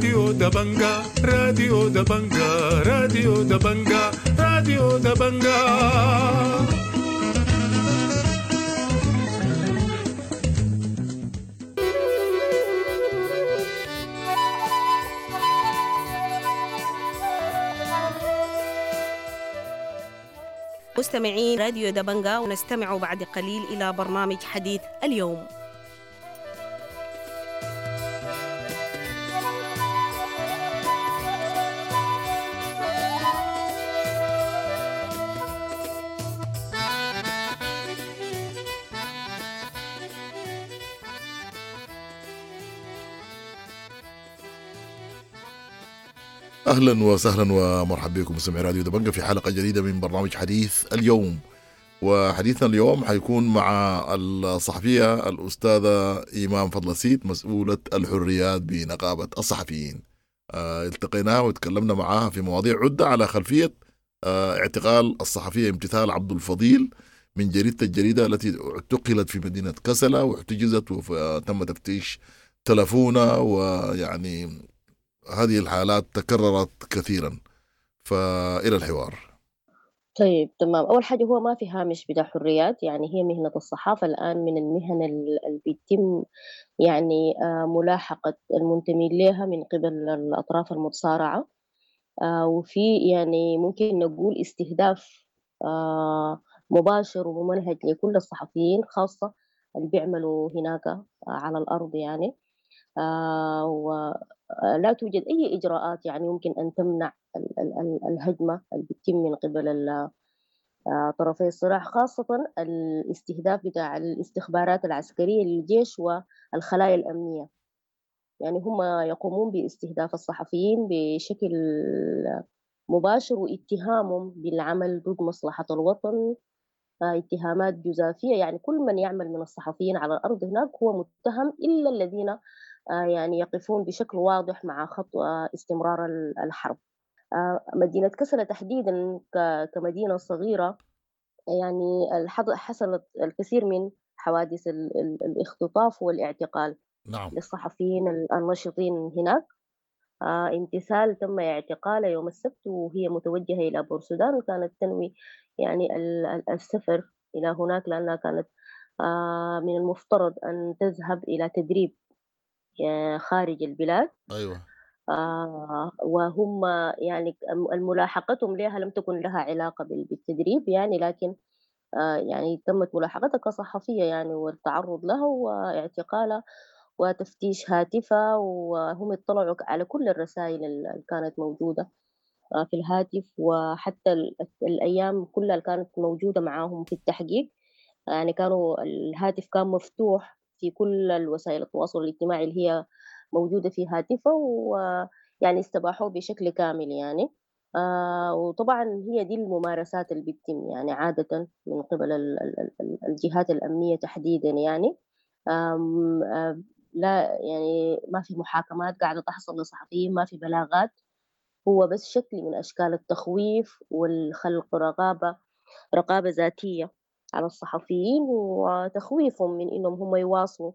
راديو دبنجا، راديو دبنجا، راديو دبنجا، راديو دبنجا. مستمعين راديو دبنجا، ونستمع بعد قليل إلى برنامج حديث اليوم. اهلا وسهلا ومرحبا بكم مستمعي راديو دبنجة في حلقة جديدة من برنامج حديث اليوم. وحديثنا اليوم حيكون مع الصحفية الاستاذة ايمان فضل سيد، مسؤولة الحريات بنقابه الصحفيين. التقيناها وتكلمنا معها في مواضيع عده على خلفية اعتقال الصحفية امتثال عبد الفضيل من جريدة الجريدة التي اعتقلت في مدينة كسلا واحتجزت وتم تفتيش تلفونها، ويعني هذه الحالات تكررت كثيرا. فإلى الحوار. طيب تمام. أول حاجة هو ما في هامش بتاع حريات، يعني هي مهنة الصحافة الآن من المهن اللي بيتم يعني ملاحقة المنتمين لها من قبل الأطراف المتصارعة، وفي يعني ممكن نقول استهداف مباشر وممنهج لكل الصحفيين، خاصة اللي بيعملوا هناك على الأرض يعني. ولا توجد أي إجراءات يعني يمكن أن تمنع الهجمة اللي بتتم من قبل طرفي الصراع، خاصة الاستهداف بتاع الاستخبارات العسكرية للجيش والخلايا الأمنية. يعني هم يقومون باستهداف الصحفيين بشكل مباشر واتهامهم بالعمل ضد مصلحة الوطن، اتهامات جزافية. يعني كل من يعمل من الصحفيين على الأرض هناك هو متهم، إلا الذين يعني يقفون بشكل واضح مع خط استمرار الحرب. مدينة كسلا تحديدا كمدينة صغيرة يعني حصلت الكثير من حوادث الاختطاف والاعتقال. نعم. للصحفيين النشطين هناك. امتثال تم اعتقالها يوم السبت وهي متوجهة إلى بورسودان، وكانت تنوي يعني السفر إلى هناك لأنها كانت من المفترض أن تذهب إلى تدريب خارج البلاد. أيوة. وهم يعني ملاحقتهم لها لم تكن لها علاقة بالتدريب يعني، لكن يعني تمت ملاحقتها كصحفية يعني، والتعرض لها واعتقالها وتفتيش هاتفها، وهم اطلعوا على كل الرسائل اللي كانت موجودة في الهاتف، وحتى الأيام كلها اللي كانت موجودة معاهم في التحقيق. يعني كانوا الهاتف كان مفتوح في كل الوسائل التواصل الاجتماعي اللي هي موجودة في هاتفه، ويعني استباحوه بشكل كامل يعني. وطبعا هي دي الممارسات اللي بتتم يعني عادة من قبل الجهات الأمنية تحديدا يعني. لا يعني ما في محاكمات قاعدة تحصل لصحفيين، ما في بلاغات، هو بس شكل من أشكال التخويف والخلق رقابة ذاتية على الصحفيين، وتخويفهم من إنهم هم يواصلوا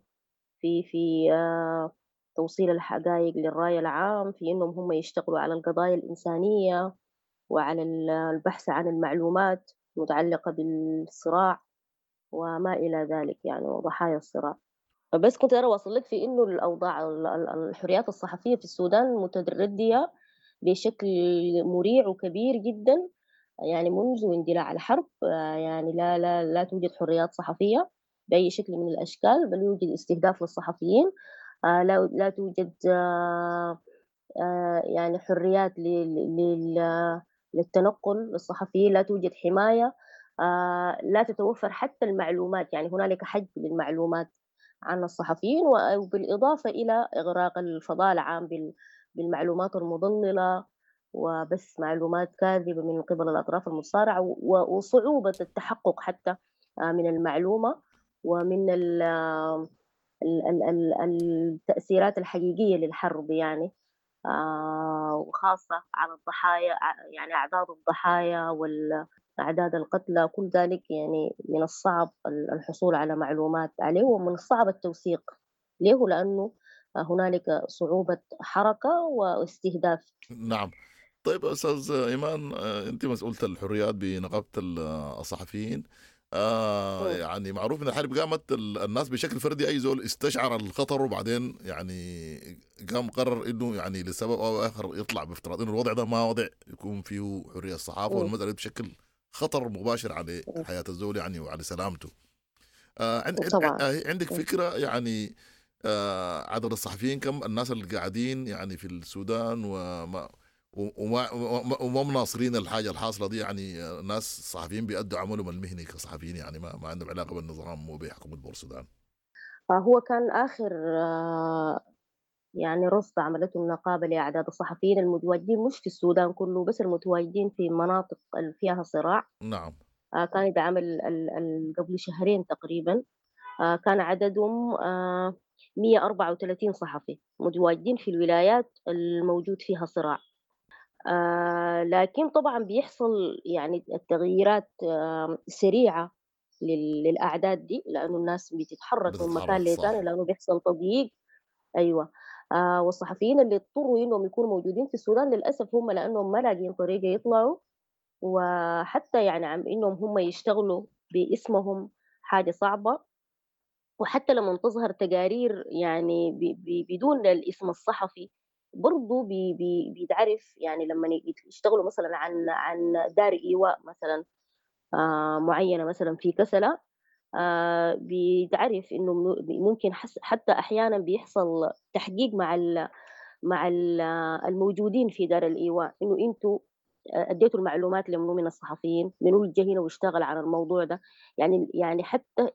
في توصيل الحقائق للرأي العام، في إنهم هم يشتغلوا على القضايا الإنسانية وعلى البحث عن المعلومات المتعلقة بالصراع وما إلى ذلك يعني، وضحايا الصراع. بس كنت أنا واصل لك في إنه الأوضاع الحريات الصحفية في السودان متردية بشكل مريع وكبير جدا يعني منذ اندلاع الحرب. يعني لا لا لا توجد حريات صحفية بأي شكل من الأشكال، بل يوجد استهداف للصحفيين. لا توجد يعني حريات للتنقل للصحفيين، لا توجد حماية، لا تتوفر حتى المعلومات، يعني هنالك حجب للمعلومات عن الصحفيين، وبالإضافة إلى إغراق الفضاء العام بالمعلومات المضللة وبس معلومات كاذبة من قبل الأطراف المتصارعة، وصعوبة التحقق حتى من المعلومة ومن التأثيرات الحقيقية للحرب يعني، وخاصة على الضحايا، يعني أعداد الضحايا والأعداد القتلى، كل ذلك يعني من الصعب الحصول على معلومات عليه، ومن الصعب التوثيق ليه، لأنه هنالك صعوبة حركة واستهداف. نعم. طيب أستاذ إيمان، أنت مسؤولة الحريات بنقابة الصحفيين. يعني معروف ان الحرب قامت الناس بشكل فردي، اي زول استشعر الخطر وبعدين يعني قام قرر انه يعني لسبب او اخر يطلع، بافتراض انه الوضع ده ما وضع يكون فيه حرية الصحافة، والمسالة بشكل خطر مباشر على حياة الزول يعني وعلى سلامته. عندك فكرة يعني عدد الصحفيين كم، الناس اللي قاعدين يعني في السودان وما مناصرين الحاجة الحاصلة دي؟ يعني ناس صحفيين بيأدوا عملهم المهني كصحفيين، يعني ما عندهم علاقة بالنظام وبحكومه بورسودان. هو كان اخر يعني رصد عملته النقابة لاعداد الصحفيين المتواجدين، مش في السودان كله بس المتواجدين في مناطق فيها صراع. نعم. كان يتعمل قبل شهرين تقريبا، كان عددهم 134 صحفي متواجدين في الولايات الموجود فيها صراع. لكن طبعا بيحصل يعني التغييرات سريعة للأعداد دي، لأنه الناس بتتحرك من مكان لثاني، لأنه بيحصل تضييق. أيوة. والصحفيين اللي اضطروا إنهم يكونوا موجودين في السودان للأسف هم لأنهم ما لاقيين طريقة يطلعوا، وحتى يعني عم إنهم هم يشتغلوا باسمهم حاجة صعبة. وحتى لما تظهر تقارير يعني بدون الاسم الصحفي برضو بيتعرف، يعني لما يشتغلوا مثلا عن دار إيواء مثلا معينة مثلا في كسلة، بيتعرف إنه ممكن حتى أحيانا بيحصل تحقيق مع الموجودين في دار الإيواء، إنه أنتوا أديتوا المعلومات لمنو من الصحفيين، منو اللي جه هنا واشتغل على الموضوع ده، يعني حتى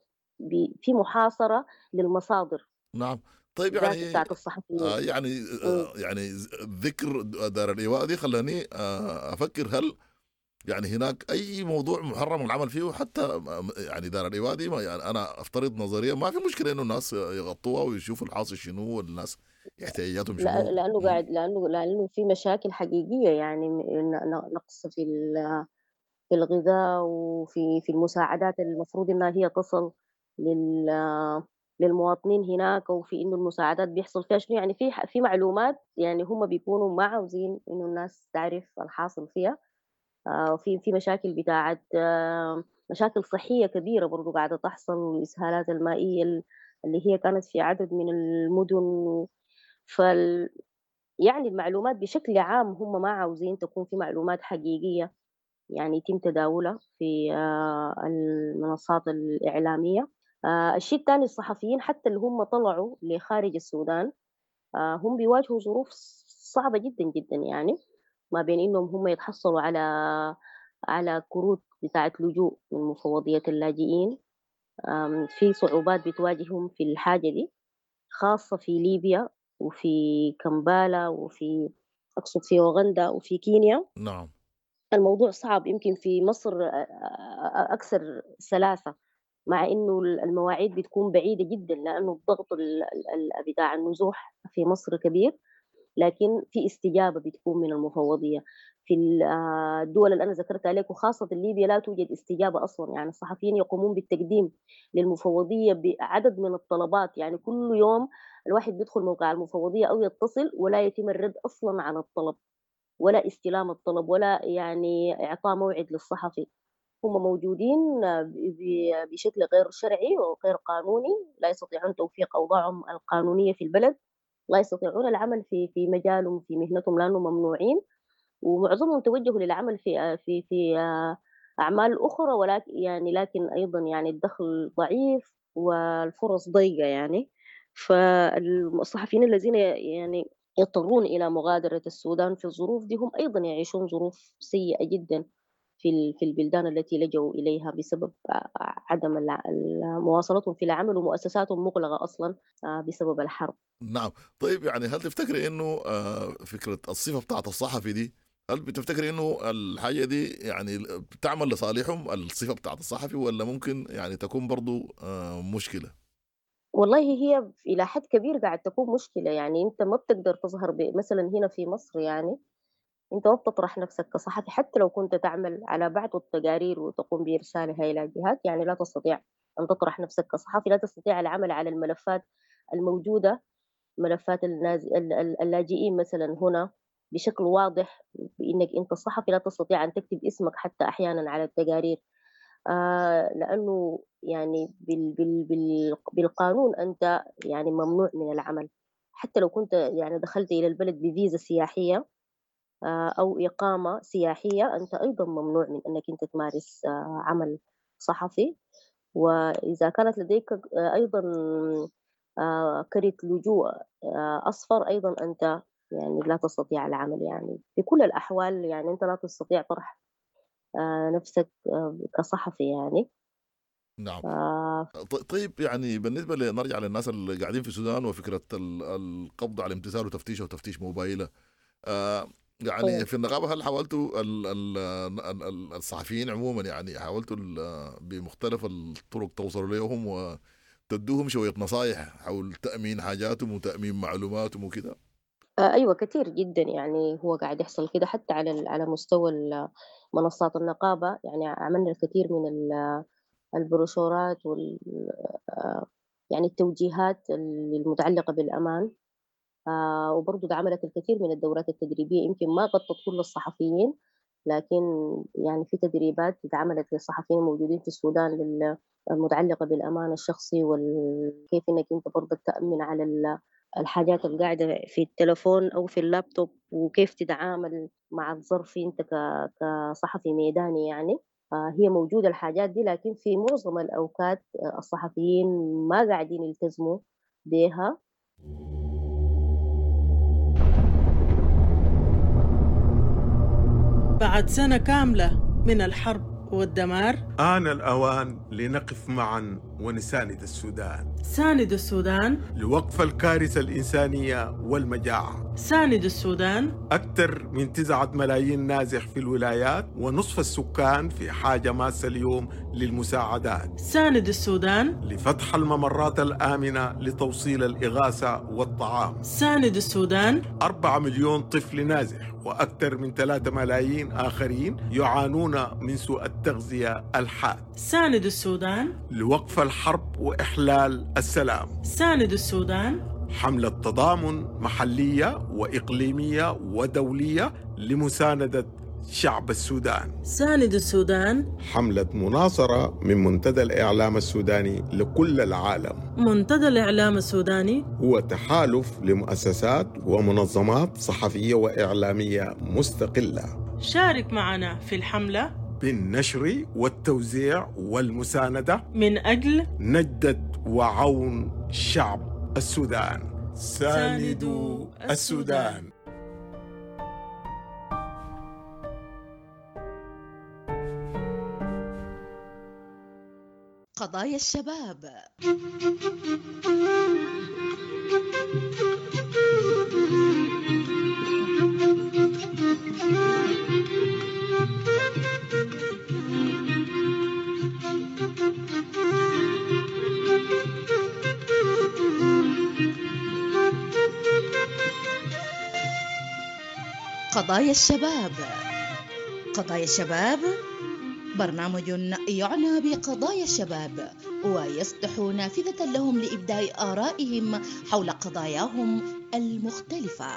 في محاصرة للمصادر. نعم. طيب يعني يعني يعني ذكر دار الإيواء دي خلاني أفكر، هل يعني هناك أي موضوع محرم العمل فيه؟ حتى يعني دار الإيواء دي يعني أنا أفترض نظريا ما في مشكلة إنه الناس يغطوها ويشوفوا الحاصل شنو والناس احتياجاتهم شنو. لأنه قاعد لأنه في مشاكل حقيقية، يعني نقص في الغذاء وفي المساعدات المفروض إنها هي تصل للمواطنين هناك، وفي إنه المساعدات بيحصل فيها شنو، يعني في معلومات يعني هم بيكونوا ما عاوزين إنه الناس تعرف الحاصل فيها. وفي مشاكل بتاعت مشاكل صحية كبيرة برضو قاعدة تحصل، والإسهالات المائية اللي هي كانت في عدد من المدن. يعني المعلومات بشكل عام هم ما عاوزين تكون في معلومات حقيقية يعني يتم تداولها في المنصات الإعلامية. الشيء الثاني، الصحفيين حتى اللي هم طلعوا لخارج السودان هم بيواجهوا ظروف صعبة جدا جدا، يعني ما بين إنهم هم يتحصلوا على كروت بتاعة لجوء من مفوضية اللاجئين. في صعوبات بتواجههم في الحاجة دي، خاصة في ليبيا وفي كمبالا وفي أقصد في أوغندا وفي كينيا. نعم. الموضوع صعب. يمكن في مصر أكثر سلاسة، مع إنه المواعيد بتكون بعيدة جدا لأنه الضغط بتاع النزوح في مصر كبير، لكن في استجابة بتكون من المفوضية. في الدول اللي أنا ذكرتها لك وخاصة ليبيا لا توجد استجابة أصلا، يعني الصحفيين يقومون بالتقديم للمفوضية بعدد من الطلبات، يعني كل يوم الواحد بيدخل موقع المفوضية أو يتصل ولا يتم الرد أصلا على الطلب، ولا استلام الطلب، ولا يعني إعطاء موعد للصحفي. هم موجودين بشكل غير شرعي وغير قانوني، لا يستطيعون توفيق أوضاعهم القانونية في البلد، لا يستطيعون العمل في مجالهم في مهنتهم لأنهم ممنوعين، ومعظمهم توجهوا للعمل في في في أعمال أخرى، ولكن يعني لكن أيضا يعني الدخل ضعيف والفرص ضيقة يعني. فالصحفيين الذين يعني يضطرون إلى مغادرة السودان في الظروف دي هم أيضا يعيشون ظروف سيئة جدا في البلدان التي لجوا إليها بسبب عدم مواصلتهم في العمل ومؤسساتهم مغلقة أصلا بسبب الحرب. نعم. طيب يعني هل تفتكري إنه فكرة الصفة بتاعت الصحفي دي، هل بتفتكري إنه الحاجة دي يعني بتعمل لصالحهم الصفة بتاعت الصحفي، ولا ممكن يعني تكون برضو مشكلة؟ والله هي إلى حد كبير قاعد تكون مشكلة. يعني أنت ما بتقدر تظهر مثلا هنا في مصر، يعني أنت ما بتطرح نفسك كصحفي حتى لو كنت تعمل على بعض التقارير وتقوم بإرسالها إلى جهات، يعني لا تستطيع أن تطرح نفسك كصحفي، لا تستطيع العمل على الملفات الموجودة ملفات اللاجئين مثلا هنا بشكل واضح، بإنك أنت صحفي لا تستطيع أن تكتب اسمك حتى أحيانا على التقارير، لأنه يعني بالقانون أنت يعني ممنوع من العمل، حتى لو كنت يعني دخلت إلى البلد بفيزا سياحية أو إقامة سياحية، أنت أيضا ممنوع من أنك أنت تمارس عمل صحفي. وإذا كانت لديك أيضا كرت لجوء أصفر، أيضا أنت يعني لا تستطيع العمل. يعني في كل الأحوال يعني أنت لا تستطيع طرح نفسك كصحفي يعني. نعم. طيب يعني بالنسبة لنرجع للناس اللي قاعدين في السودان وفكرة القبض على امتثال وتفتيشه وتفتيش موبايله، يعني في النقابة هل حاولتوا الصحفيين عموما يعني حاولتوا بمختلف الطرق توصلوا لهم وتدوهم شوية نصايح حول تأمين حاجاتهم وتأمين معلوماتهم وكده؟ أيوة كثير جدا، يعني هو قاعد يحصل كده حتى على مستوى منصات النقابة. يعني عملنا الكثير من البروشورات وال يعني التوجيهات المتعلقة بالأمان، وبرضو عملت الكثير من الدورات التدريبية، يمكن ما غطت كل الصحفيين، لكن يعني في تدريبات اتعملت للصحفيين الموجودين في السودان المتعلقة بالأمان الشخصي، وكيف إنك أنت برضك تأمن على الحاجات اللي قاعدة في التلفون أو في اللابتوب، وكيف تتعامل مع الظرف أنت كصحفي ميداني. يعني هي موجودة الحاجات دي، لكن في معظم الأوقات الصحفيين ما قاعدين يلتزموا بها. بعد سنة كاملة من الحرب والدمار، آن الأوان لنقف معا ونساند السودان. ساند السودان لوقف الكارثة الإنسانية والمجاعة. ساند السودان. أكثر من 9 ملايين نازح في الولايات، ونصف السكان في حاجة ماسة اليوم للمساعدات. ساند السودان لفتح الممرات الآمنة لتوصيل الإغاثة والطعام. ساند السودان. 4 مليون طفل نازح وأكثر من 3 ملايين آخرين يعانون من سوء التغذية الحاد. ساند السودان لوقف الحرب وإحلال السلام. ساند السودان. حملة تضامن محلية وإقليمية ودولية لمساندة شعب السودان. ساند السودان. حملة مناصرة من منتدى الإعلام السوداني لكل العالم. منتدى الإعلام السوداني هو تحالف لمؤسسات ومنظمات صحفية وإعلامية مستقلة. شارك معنا في الحملة بالنشر والتوزيع والمساندة من أجل نجدة وعون شعب السودان. ساندوا السودان. قضايا الشباب. قضايا الشباب. قضايا الشباب برنامج يعنى بقضايا الشباب ويفتح نافذة لهم لإبداء آرائهم حول قضاياهم المختلفة.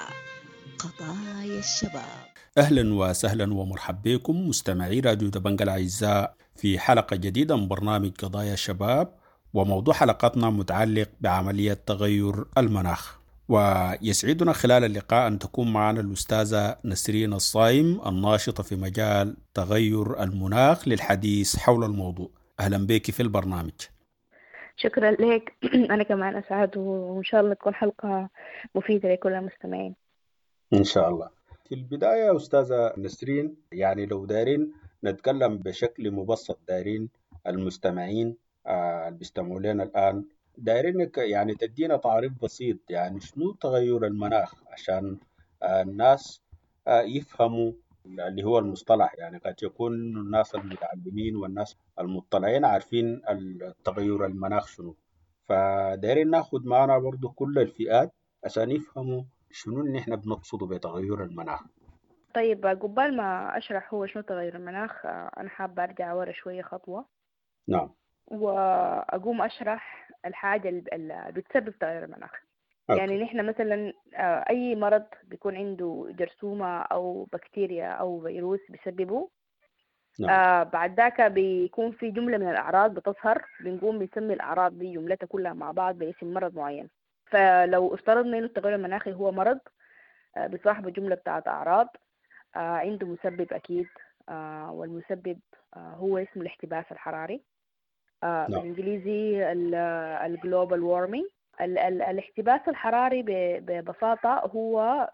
قضايا الشباب. أهلا وسهلا ومرحبا بكم مستمعي راديو دبنجا الأعزاء في حلقة جديدة من برنامج قضايا الشباب، وموضوع حلقتنا متعلق بعملية تغير المناخ. ويسعدنا خلال اللقاء أن تكون معنا الأستاذة نسرين الصايم الناشطة في مجال تغير المناخ للحديث حول الموضوع. أهلا بك في البرنامج. شكرا لك. أنا كمان أسعد، وإن شاء الله تكون حلقة مفيدة لكل المستمعين إن شاء الله. في البداية أستاذة نسرين، يعني لو دايرين نتكلم بشكل مبسط، دايرين المستمعين اللي بيستمعوا لنا الآن، دايرينك يعني تدينا تعريف بسيط، يعني شنو تغير المناخ عشان الناس يفهموا اللي هو المصطلح. يعني قد يكون الناس المتعلمين والناس المطلعين عارفين التغير المناخ شنو، فدايرين ناخد معنا برضو كل الفئات عشان يفهموا شنو اللي احنا بنقصده بتغير المناخ. طيب، قبل ما أشرح هو شنو تغير المناخ، أنا حابة أرجع ورا شوية خطوة. نعم. وأقوم أشرح الحاجة اللي بتسبب تغير المناخ. يعني نحن مثلا أي مرض بيكون عنده جرثومة أو بكتيريا أو فيروس بيسببه. نعم. بعد ذاك بيكون في جملة من الأعراض بتظهر، بنقوم بنسمي الأعراض دي جملتها كلها مع بعض باسم مرض معين. فلو افترضنا إنه التغير المناخي هو مرض بصاحب جملة بتاعت أعراض، عنده مسبب أكيد، والمسبب هو اسمه الاحتباس الحراري. نعم. بالإنجليزي ال global warming. الاحتباس الحراري ببساطة هو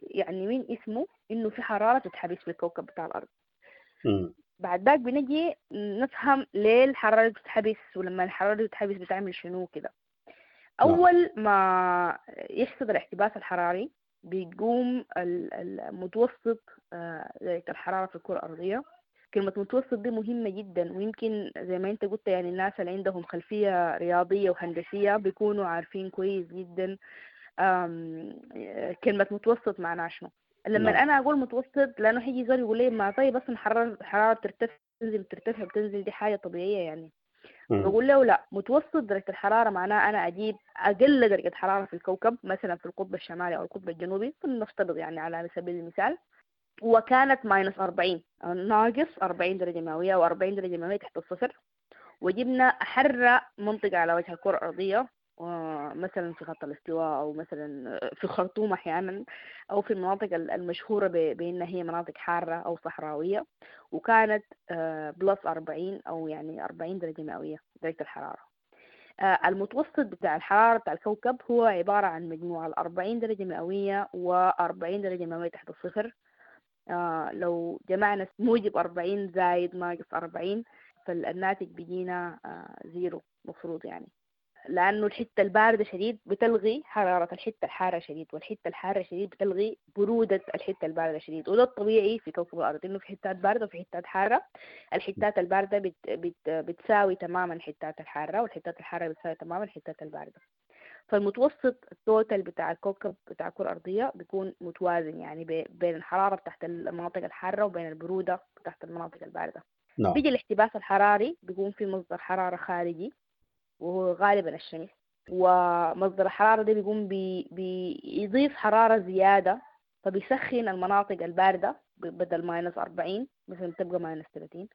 يعني من اسمه إنه في حرارة تتحبس في الكوكب بتاع الأرض. بعد ذاك بنجي نفهم ليه الحرارة بتتحبس، ولما الحرارة بتتحبس بتعمل شنو كده. أول ما يحصل الاحتباس الحراري بيقوم المتوسط درجة الحرارة في الكرة الأرضية. كلمة متوسط دي مهمة جدا، ويمكن زي ما انت قلت يعني الناس اللي عندهم خلفية رياضية وهندسية بيكونوا عارفين كويس جدا كلمة متوسط معناها شنو. لما نعم. أنا أقول متوسط لأنه حيجي زول يقول لي ما طيب أصلا الحرارة بترتفع بتنزل بترتفع بتنزل، دي حاجة طبيعية يعني. بقول له لا، متوسط درجة الحرارة معناه أنا أجيب أقل درجة حرارة في الكوكب، مثلا في القطب الشمالي أو القطب الجنوبي نفترض يعني على سبيل المثال، وكانت minus 40 أو ناقص 40 درجة مئوية أو 40 درجة مئوية تحت الصفر، وجبنا أحر منطقة على وجه الكرة الأرضية، مثلا في خط الاستواء أو مثلا في الخرطوم أحيانا، أو في المناطق المشهورة بأنها هي مناطق حارة أو صحراوية، وكانت plus 40 أو يعني 40 درجة مئوية درجة الحرارة. المتوسط بتاع الحرارة بتاع الكوكب هو عبارة عن مجموع 40 درجة مئوية و40 درجة مئوية تحت الصفر. لو جمعنا موجب 40 زايد ناقص 40 فالناتج بيجينا zero مفروض يعني، لأنه الحتة الباردة شديد بتلغي حرارة الحتة الحارة شديد، والحتة الحارة شديد بتلغي برودة الحتة الباردة شديد. وده الطبيعي في كوكب الأرض، إنه في حتات باردة وفي حتات حارة. الحتات الباردة بت بت بتساوي تماما الحتات الحارة، والحتات الحارة بتساوي تماما الحتات الباردة. فالمتوسط ال total بتاع الكوكب بتاع الكرة الأرضية بيكون متوازن يعني بين الحرارة بتاعت المناطق الحارة وبين البرودة بتاعت المناطق الباردة. نعم. بيجي الاحتباس الحراري بيكون في مصدر حرارة خارجي وهو غالبا الشمس، ومصدر الحرارة ده بيقوم بيضيف حرارة زيادة، فبيسخن المناطق الباردة بدل minus 40 مثلا تبقى minus 30،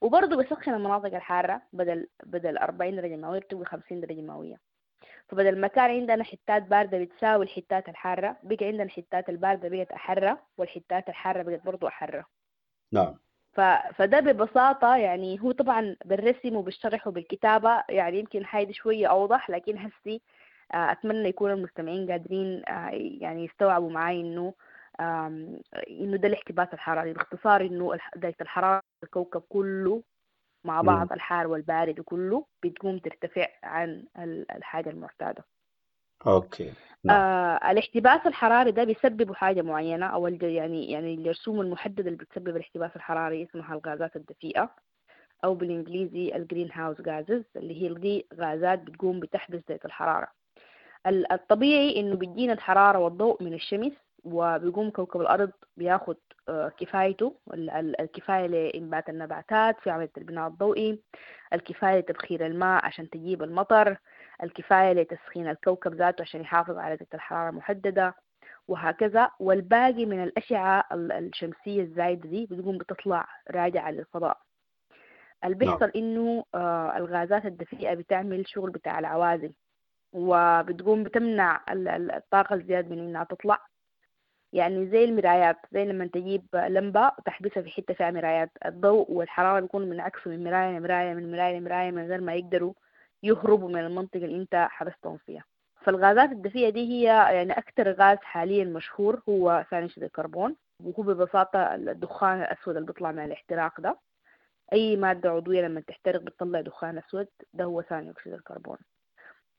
وبرضه بيسخن المناطق الحارة بدل 40 درجة مئوية بتبقى 50 درجة مئوية. فبدل ما كان عندنا حتات باردة بتساوي الحتات الحارة، بقى عندنا الحتات الباردة بقت أحرة، والحتات الحارة بقت برضه أحرة. نعم. فده ببساطة يعني هو طبعا بالرسم وبالشرح وبالكتابة يعني يمكن حاجة شوية أوضح، لكن هسي أتمنى يكون المستمعين قادرين يعني يستوعبوا معاي إنه ده الاحتباس الحراري باختصار، إنه درجة الحرارة الكوكب كله مع بعض الحار والبارد وكله بتقوم ترتفع عن الحاجة المعتادة. okay. نعم. الاحتباس الحراري ده بيسبب حاجة معينة أو يعني الجرثومة المحددة اللي بتسبب الاحتباس الحراري اسمها الغازات الدفيئة، أو بالإنجليزي ال greenhouse gases، اللي هي دي غازات بتقوم بتحبس درجة الحرارة. الطبيعي إنه بيجينا الحرارة والضوء من الشمس، وبيقوم كوكب الأرض بياخد كفايته، الكفاية لإنبات النباتات في عملية البناء الضوئي، الكفاية لتبخير الماء عشان تجيب المطر، الكفاية لتسخين الكوكب ذاته عشان يحافظ على درجة الحرارة المحددة، وهكذا. والباقي من الأشعة الشمسية الزايدة دي بتقوم بتطلع راجعة للفضاء. اللي بيحصل إنه الغازات الدفيئة بتعمل شغل بتاع العوازل، وبتقوم بتمنع الطاقة الزيادة من إنها تطلع. يعني زي المرايات، زي لما تجيب لمبة وتحبسها في حتة فيها مرايات، الضوء والحرارة بيكونوا منعكسوا من مراية لمراية من مراية لمراية من غير ما يقدروا يهربوا من المنطقة اللي انت حبستهم فيها. فالغازات الدفيئة دي هي يعني أكثر غاز حاليا مشهور هو ثاني أكسيد الكربون، وهو ببساطة الدخان الأسود اللي بيطلع من الاحتراق ده. أي مادة عضوية لما تحترق بتطلع دخان أسود، ده هو ثاني أكسيد الكربون،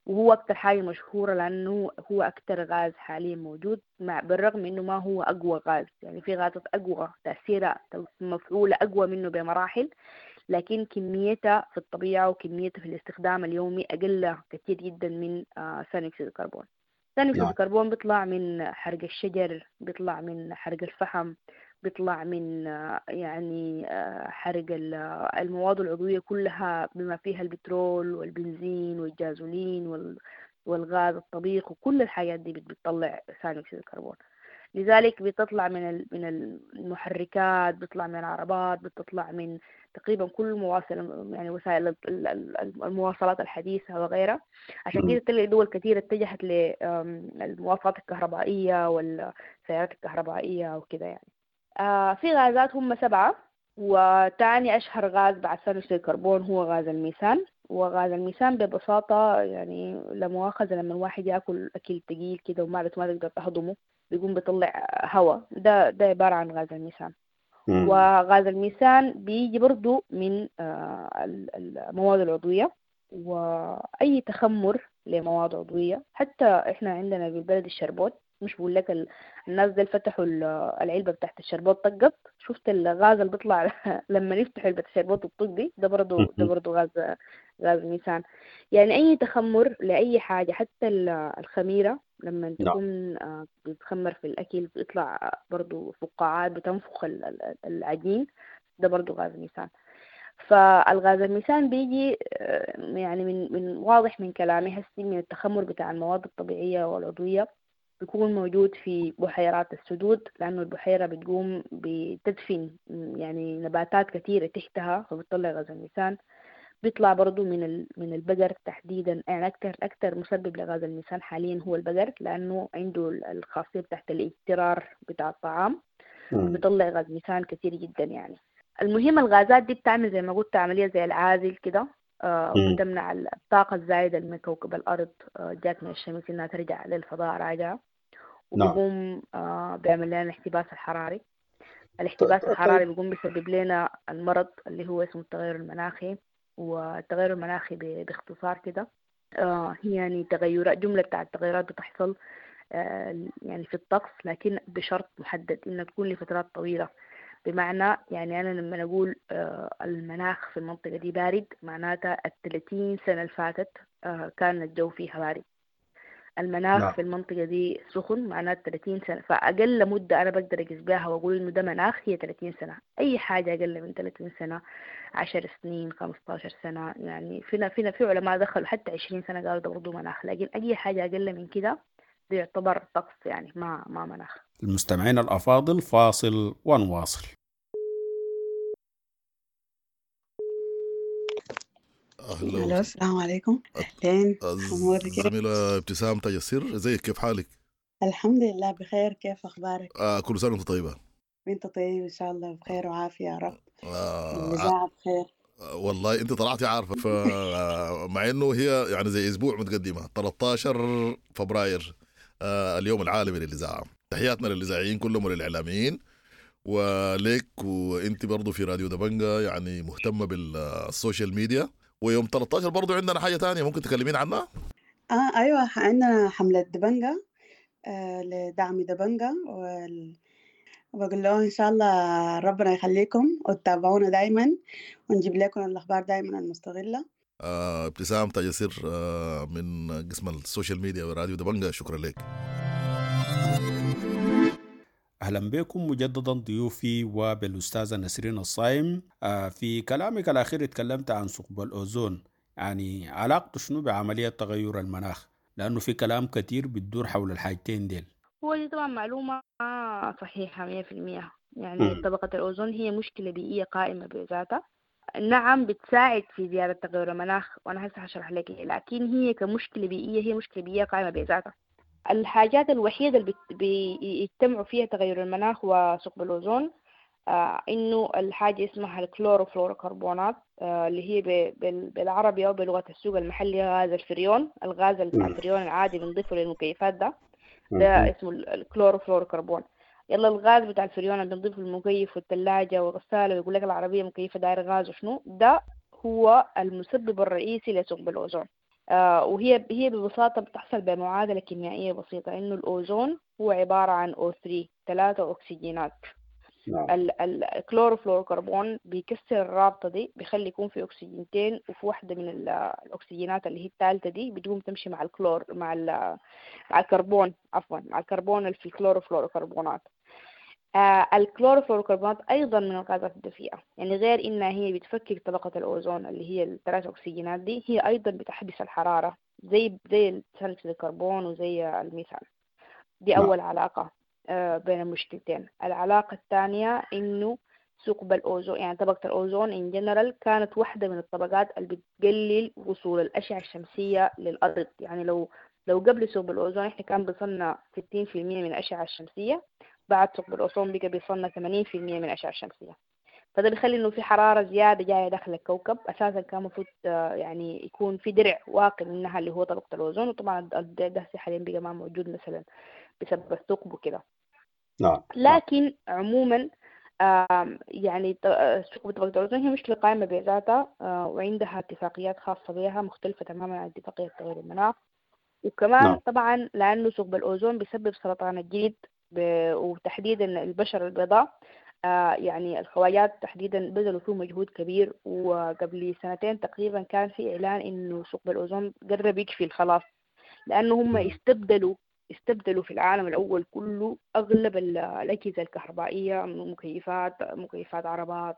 وهو أكتر حاجة مشهورة لأنه هو أكتر غاز حاليا موجود، مع بالرغم إنه ما هو أقوى غاز، يعني في غازات أقوى تأثيرها مفعولة أقوى منه بمراحل، لكن كميتها في الطبيعة وكميتها في الاستخدام اليومي أقل كثير جدا من ثاني أكسيد الكربون. ثاني أكسيد الكربون بيطلع من حرق الشجر، بيطلع من حرق الفحم، بيطلع من يعني حرق المواد العضوية كلها بما فيها البترول والبنزين والجازولين والغاز الطبيخ وكل الحاجات دي بتطلع ثاني أكسيد الكربون. لذلك بتطلع من المحركات، بتطلع من العربات، بتطلع من تقريبا كل مواصل يعني وسائل المواصلات الحديثة وغيرها. عشان كده تلاقي دول كثيرة اتجهت للمواصلات الكهربائية والسيارات الكهربائية وكده يعني. في غازات هم 7، وتاني أشهر غاز بعد ثاني أكسيد الكربون هو غاز الميثان. وغاز الميثان ببساطة يعني لا مؤاخذة لما الواحد ياكل أكل ثقيل كده ومعدته ما تقدر تهضمه بيقوم بيطلع هواء، ده عبارة عن غاز الميثان. وغاز الميثان بيجي برضو من المواد العضوية وأي تخمر لمواد عضوية. حتى إحنا عندنا بالبلد الشربوت، مش بقول لك الناس دي فتحوا العلبة بتاعت الشربوت طقت، شفت الغاز اللي بيطلع لما نفتح علبة الشربوت وتطق دي، ده برضو غاز ميثان. يعني أي تخمر لأي حاجة، حتى الخميرة لما تكون بتخمر في الأكل بيطلع برضو فقاعات بتنفخ العجين، ده برضو غاز ميثان. فالغاز الميثان بيجي يعني من واضح من كلامي هسي من التخمر بتاع المواد الطبيعية والعضوية، بيكون موجود في بحيرات السدود، لأنه البحيرة بتقوم بتدفن يعني نباتات كثيرة تحتها فبتطلع غاز الميثان. بيطلع برضو من البقر تحديدا، يعني أكثر مسبب لغاز الميثان حاليا هو البقر، لأنه عنده الخاصية بتاعت الاجترار بتاع الطعام، بيطلع غاز ميثان كثير جدا يعني. المهم الغازات دي بتعمل زي ما قلت عملية زي العازل كده، وبتمنع الطاقة الزايدة من كوكب الأرض جات من الشمس إنها ترجع للفضاء راجعة، وبيقوم بيعمل لنا الاحتباس الحراري. الاحتباس الحراري بيقوم بيسبب لنا المرض اللي هو اسمه التغير المناخي. والتغير المناخي باختصار كده هي يعني تغيرات، جملة بتاع التغيرات بتحصل يعني في الطقس، لكن بشرط محدد إنها تكون لفترات طويلة. بمعنى يعني أنا لما أقول المناخ في المنطقة دي بارد، معناتها 30 سنة اللي فاتت كان الجو فيها بارد. المناخ في المنطقة دي سخن، معناته 30 سنة. فأقل مدة أنا بقدر أقيس بها وأقول إنه ده مناخ هي 30 سنة. أي حاجة أقل من 30 سنة، 10 سنين، 15 سنة، يعني فينا في علماء دخلوا حتى 20 سنة قالوا ده برضه مناخ، لكن أي حاجة أقل من كده ده يعتبر طقس يعني ما مناخ. المستمعين الأفاضل، فاصل ونواصل. أهلا، السلام عليكم. أهلين، الزميلة ابتسام تاج السر، ازيك، كيف حالك؟ الحمد لله بخير، كيف أخبارك؟ كل سنة وأنت طيبة. وأنت طيب إن شاء الله، بخير وعافية يا رب. الإذاعة بخير والله. أنت طلعتي عارفة، فمع إنه هي يعني زي أسبوع متقدمة، 13 فبراير اليوم العالمي للإذاعة. تحياتنا للإذاعيين كلهم وللإعلاميين وليك، وأنت برضو في راديو دبنجة يعني مهتمة بال social media. ويوم 13 برضو عندنا حاجة تانية ممكن تكلمين عنها؟ أيوة، عندنا حملة دبنجة لدعم دبنجة، وبقول لهم إن شاء الله ربنا يخليكم وتتابعونا دايما، ونجيب لكم الأخبار دايما المستغلة. ابتسام تاج السر من قسم ال social media وراديو دبنجة، شكرا لك. أهلا بكم مجددا ضيوفي وبالأستاذة نسرين الصايم. في كلامك الأخير اتكلمت عن ثقب الأوزون، يعني علاقته شنو بعملية تغير المناخ؟ لأنه في كلام كتير بتدور حول الحاجتين ديل. هو دي طبعا معلومة صحيحة 100%. يعني طبقة الأوزون هي مشكلة بيئية قائمة بذاتها، نعم بتساعد في زيادة تغير المناخ، وأنا هسه هشرح لك، لكن هي كمشكلة بيئية هي مشكلة بيئية قائمة بذاتها. الحاجات الوحيدة اللي بيجتمعوا فيها تغير المناخ وثقب الأوزون إنه الحاجة اسمها الكلوروفلوروكربونات، اللي هي بالعربي أو بلغة السوق المحلي غاز الفريون. الغاز بتاع الفريون العادي بنضيفه للمكيفات ده اسمه الكلوروفلوروكربون. يلا الغاز بتاع الفريون اللي بنضيفه للمكيف والثلاجة والغسالة، ويقول لك العربية مكيفة داير غاز وشنو، ده هو المسبب الرئيسي لثقب الأوزون. وهي ببساطة بتحصل بمعادلة كيميائية بسيطة، إنه الأوزون هو عبارة عن O3، 3 أكسجينات. الكلوروفلوروكربون بيكسر الرابطة دي، بيخلي يكون في أكسجينتين، وفي واحدة من الأكسجينات اللي هي الثالثة دي بتقوم تمشي مع الكلور مع الكربون، عفوا مع الكربون اللي في الكلوروفلوروكربونات. الكلوروفلوروكربونات أيضا من الغازات الدفيئة، يعني غير إنها هي بتفكك طبقة الأوزون اللي هي الثلاث أكسجينات دي، هي أيضا بتحبس الحرارة زي ثاني أكسيد الكربون وزي الميثان. دي أول علاقة بين المشكلتين. العلاقة الثانية إنه ثقب الأوزون، يعني طبقة الأوزون in general كانت واحدة من الطبقات اللي بتقلل وصول الأشعة الشمسية للأرض. يعني لو قبل ثقب الأوزون إحنا كان بيصلنا 60% من الأشعة الشمسية، بعد ثقب الأوزون بقى بيصلنا 80% من الأشعة الشمسية. فده بيخلي إنه في حرارة زيادة جاية داخل الكوكب. أساسا كان المفروض يعني يكون في درع واقي منها اللي هو طبقة الأوزون، وطبعا الدرع ده حاليا بقى ما موجود مثلا بسبب الثقب وكده. نعم. لكن عموما يعني ثقب طبقة الأوزون هي مشكلة قائمة بذاتها، وعندها اتفاقيات خاصة بها مختلفة تماما عن اتفاقية تغير المناخ. وكمان نعم. طبعا لأنه ثقب الأوزون بيسبب سرطان الجلد وتحديدا البشرة البيضاء، يعني الخواجات تحديدا بذلوا فيه مجهود كبير. وقبل سنتين تقريبا كان في إعلان إنه ثقب الأوزون قرب يكفي خلاص، لأنه هم استبدلوا في العالم الأول كله أغلب الأجهزة الكهربائية، مكيفات عربات،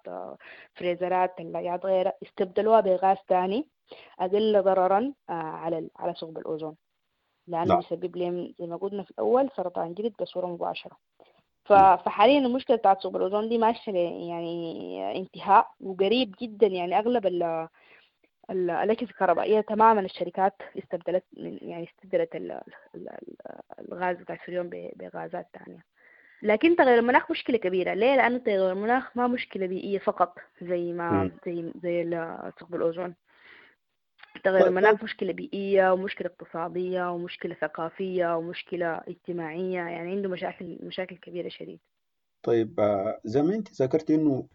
فريزرات، ثلاجات، غيرها، استبدلوها بغاز ثاني أقل ضررا على ثقب الأوزون، لأنه بيسبب لهم زي ما قلنا في الأول سرطان جلد بصورة مباشرة. فحاليا المشكلة بتاعت ثقب الأوزون دي ماشية يعني انتهاء وقريب جدا. يعني أغلب الأجهزة الكهربائية تماما الشركات استبدلت يعني استبدلت الغاز بتاع الفريون بغازات تانية. لكن تغير المناخ مشكلة كبيرة. ليه؟ لأنه تغير المناخ ما مشكلة بيئية فقط زي ما زي ثقب الأوزون. تغير المناخ مشكلة بيئية ومشكلة اقتصادية ومشكلة ثقافية ومشكلة اجتماعية، يعني عنده مشاكل كبيرة شديد. طيب زي ما انت ذكرت انه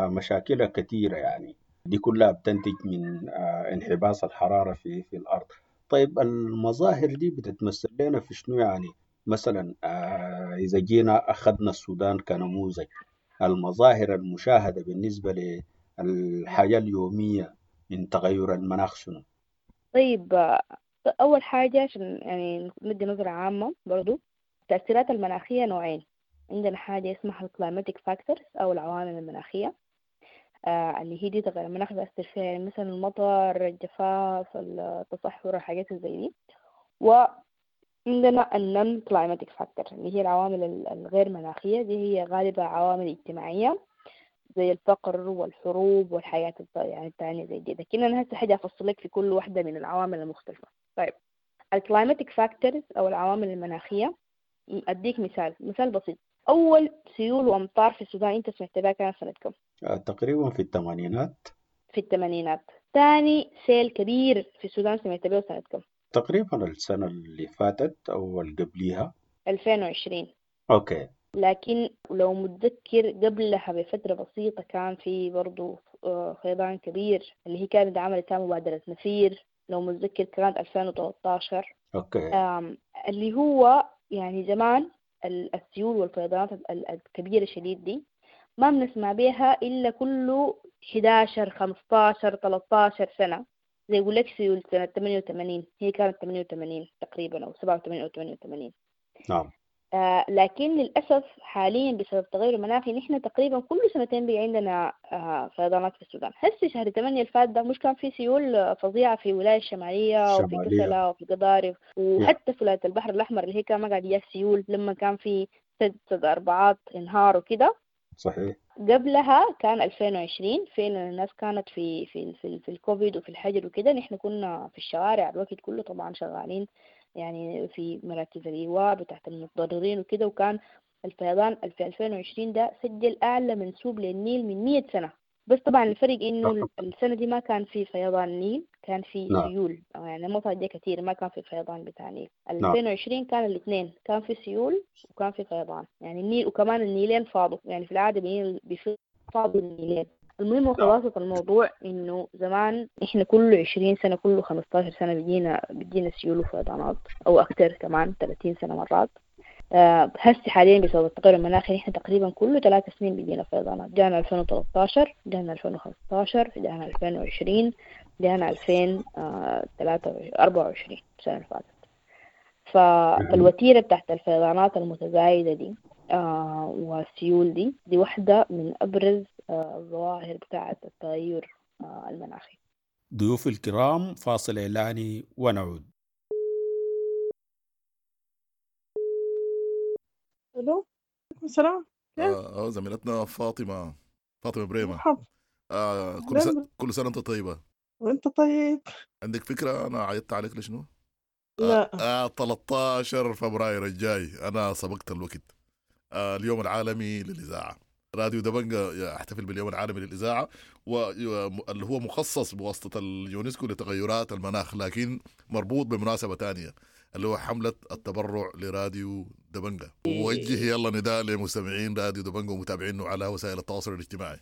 مشاكلها كثيرة، يعني دي كلها بتنتج من انحباس الحرارة في الأرض. طيب المظاهر دي بتتمثل لنا في شنو؟ يعني مثلا إذا جينا أخذنا السودان كنموذج، المظاهر المشاهدة بالنسبة للحياة اليومية من تغير المناخ شنو؟ طيب أول حاجة عشان يعني ندي نظرة عامة برضو، التأثيرات المناخية نوعين. عندنا حاجة اسمها ال climatic factors أو العوامل المناخية، اللي هي دي تغير المناخ بيأثر فيها، يعني مثلا المطر، الجفاف، التصحر، الحاجات زي دي. وعندنا ال non climatic factor اللي هي العوامل الغير مناخية، دي هي غالبا عوامل اجتماعية زي الفقر والحروب والحياة يعني التانية زي دي. لكن أنا هسه حاجة أفصل لك في كل واحدة من العوامل المختلفة. طيب ال climatic factors أو العوامل المناخية، أديك مثال بسيط. أول سيول وأمطار في السودان أنت سمعت بها كان سنة كم؟ تقريبا في الثمانينات. في الثمانينات. ثاني سيل كبير في السودان سمعت به سنة كم؟ تقريبا السنة اللي فاتت أو اللي قبليها، 2020. okay. لكن لو متذكر قبلها بفترة بسيطة كان في برضو فيضان كبير اللي هي كانت عملت مبادرة نفير، لو متذكر كانت 2013. okay. اللي هو يعني زمان السيول والفيضانات الكبيرة شديد دي ما بنسمع بيها إلا كله 11 15 13 سنة. زي يقول لك سيول سنة 88، هي كانت 88 تقريبا أو 87 أو 88. نعم. لكن للأسف حاليا بسبب التغير المناخي نحن تقريبا كل سنتين بقى عندنا فيضانات في السودان. هسه شهر 8 الفات ده مش كان في سيول فظيعة في ولاية الشمالية وفي كسلة وفي قضارف وحتى في ولاية البحر الأحمر اللي هي كان ما قاعد يجيها سيول لما كان في سد أربعات انهار وكده. صحيح. قبلها كان 2020 فين الناس كانت في في في, في الكوفيد وفي الحجر وكده، نحن كنا في الشوارع الوقت كله طبعا شغالين يعني في مراكز الإيواء بتاعت المتضررين وكده، وكان الفيضان في 2020 ده سجل أعلى منسوب للنيل من 100 سنة. بس طبعا الفرق إنه السنة دي ما كان في فيضان نيل، كان في سيول، يعني مطر جا كتير، ما كان في فيضان بتاع نيل. 2020 كان الاثنين، كان في سيول وكان في فيضان، يعني النيل وكمان النيلين فاضوا، يعني في العادة بيفاضوا النيلين. المهم وخلاصة الموضوع إنه زمان إحنا كل 20 سنة كل 15 سنة بيجينا سيول وفيضانات أو أكتر كمان 30 سنة مرات. هسه حاليا بسبب التغير المناخي نحن تقريبا كل 3 سنين بيجينا فيضانات. جانا 2013، جانا 2015، جانا 2020، جانا 2024 السنة اللي فاتت. فالوتيرة بتاعت الفيضانات المتزايدة دي والسيول دي واحدة من أبرز الظواهر بتاعت التغير المناخي. ضيوف الكرام، فاصل إعلاني ونعود. الو، عليكم السلام. كيف؟ زميلتنا فاطمة بريمة. مرحبا. أهلاً. كل سنة أنت طيبة. وأنت طيب. عندك فكرة أنا عيطت عليك لشنو؟ لا. 13 فبراير الجاي، أنا سبقت الوقت. اليوم العالمي للإذاعة. راديو دبنجة يحتفل باليوم العالمي للإذاعة، واللي هو مخصص بواسطة اليونسكو لتغيرات المناخ، لكن مربوط بمناسبة تانية اللي هو حملة التبرع لراديو دبنجة. ووجه يلا نداء لمستمعين راديو دبنجة ومتابعينه على وسائل التواصل الاجتماعي.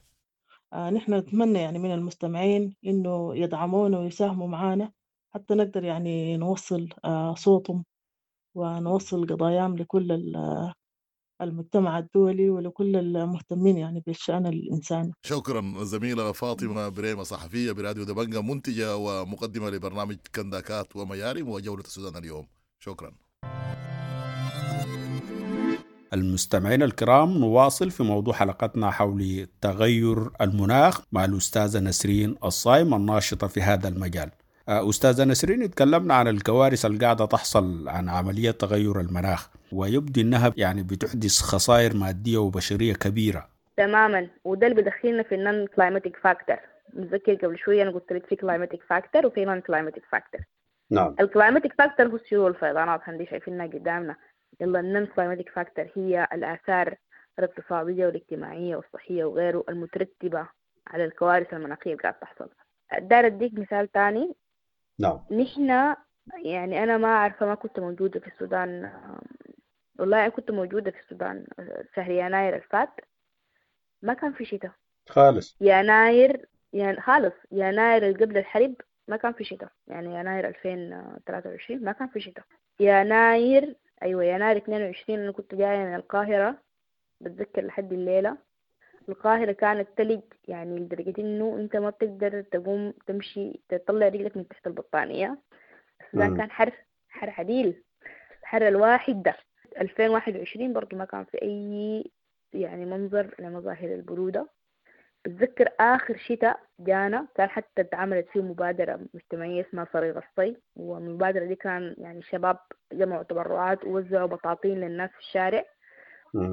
نحن نتمنى يعني من المستمعين إنه يدعمونا ويساهموا معانا حتى نقدر يعني نوصل صوتهم ونوصل قضاياهم لكل المجتمع الدولي ولكل المهتمين يعني بالشأن الإنساني. شكرا زميلة فاطمة بريمة، صحفية براديو دبنجة، منتجة ومقدمة لبرنامج كنداكات وميارم وجولة السودان اليوم. شكرا. المستمعين الكرام، نواصل في موضوع حلقتنا حول تغير المناخ مع الأستاذة نسرين الصايم الناشطة في هذا المجال. أستاذة نسرين، تكلمنا عن الكوارث اللي قاعدة تحصل عن عملية تغير المناخ، ويبدو أنها يعني بتحدث خسائر مادية وبشرية كبيرة. تماما، وده اللي بدخلنا في ال non climatic factor. متذكر قبل شوية أنا قلت لك في climatic factor وفي non climatic factor. نعم. ال climatic factor هو السيول والفيضانات اللي شايفينها قدامنا. يلا ال non climatic factor هي الآثار الاقتصادية والاجتماعية والصحية وغيره المترتبة على الكوارث المناخية اللي قاعدة تحصل. دار أديك مثال تاني. نعم. نحن يعني أنا ما عارفة، ما كنت موجودة في السودان، والله أنا كنت موجودة في السودان شهر يناير الفات، ما كان في شتاء خالص. يناير يعني خالص، يناير اللي قبل الحرب ما كان في شتاء، يعني يناير 2023 ما كان في شتاء. يناير أيوة يناير 22 أنا كنت جاية من القاهرة، بتذكر لحد الليلة القاهرة كانت تلج، يعني لدرجة إنه أنت ما بتقدر تقوم تمشي تطلع رجلك من تحت البطانية. السودان كان حر حر عديل، حر الواحد ده. 2021 برضو ما كان في أي يعني منظر لمظاهر البرودة. بتذكر آخر شتاء جانا كان حتى اتعملت فيه مبادرة مجتمعية اسمها فريق الصي، والمبادرة دي كان يعني شباب جمعوا تبرعات ووزعوا بطاطين للناس في الشارع.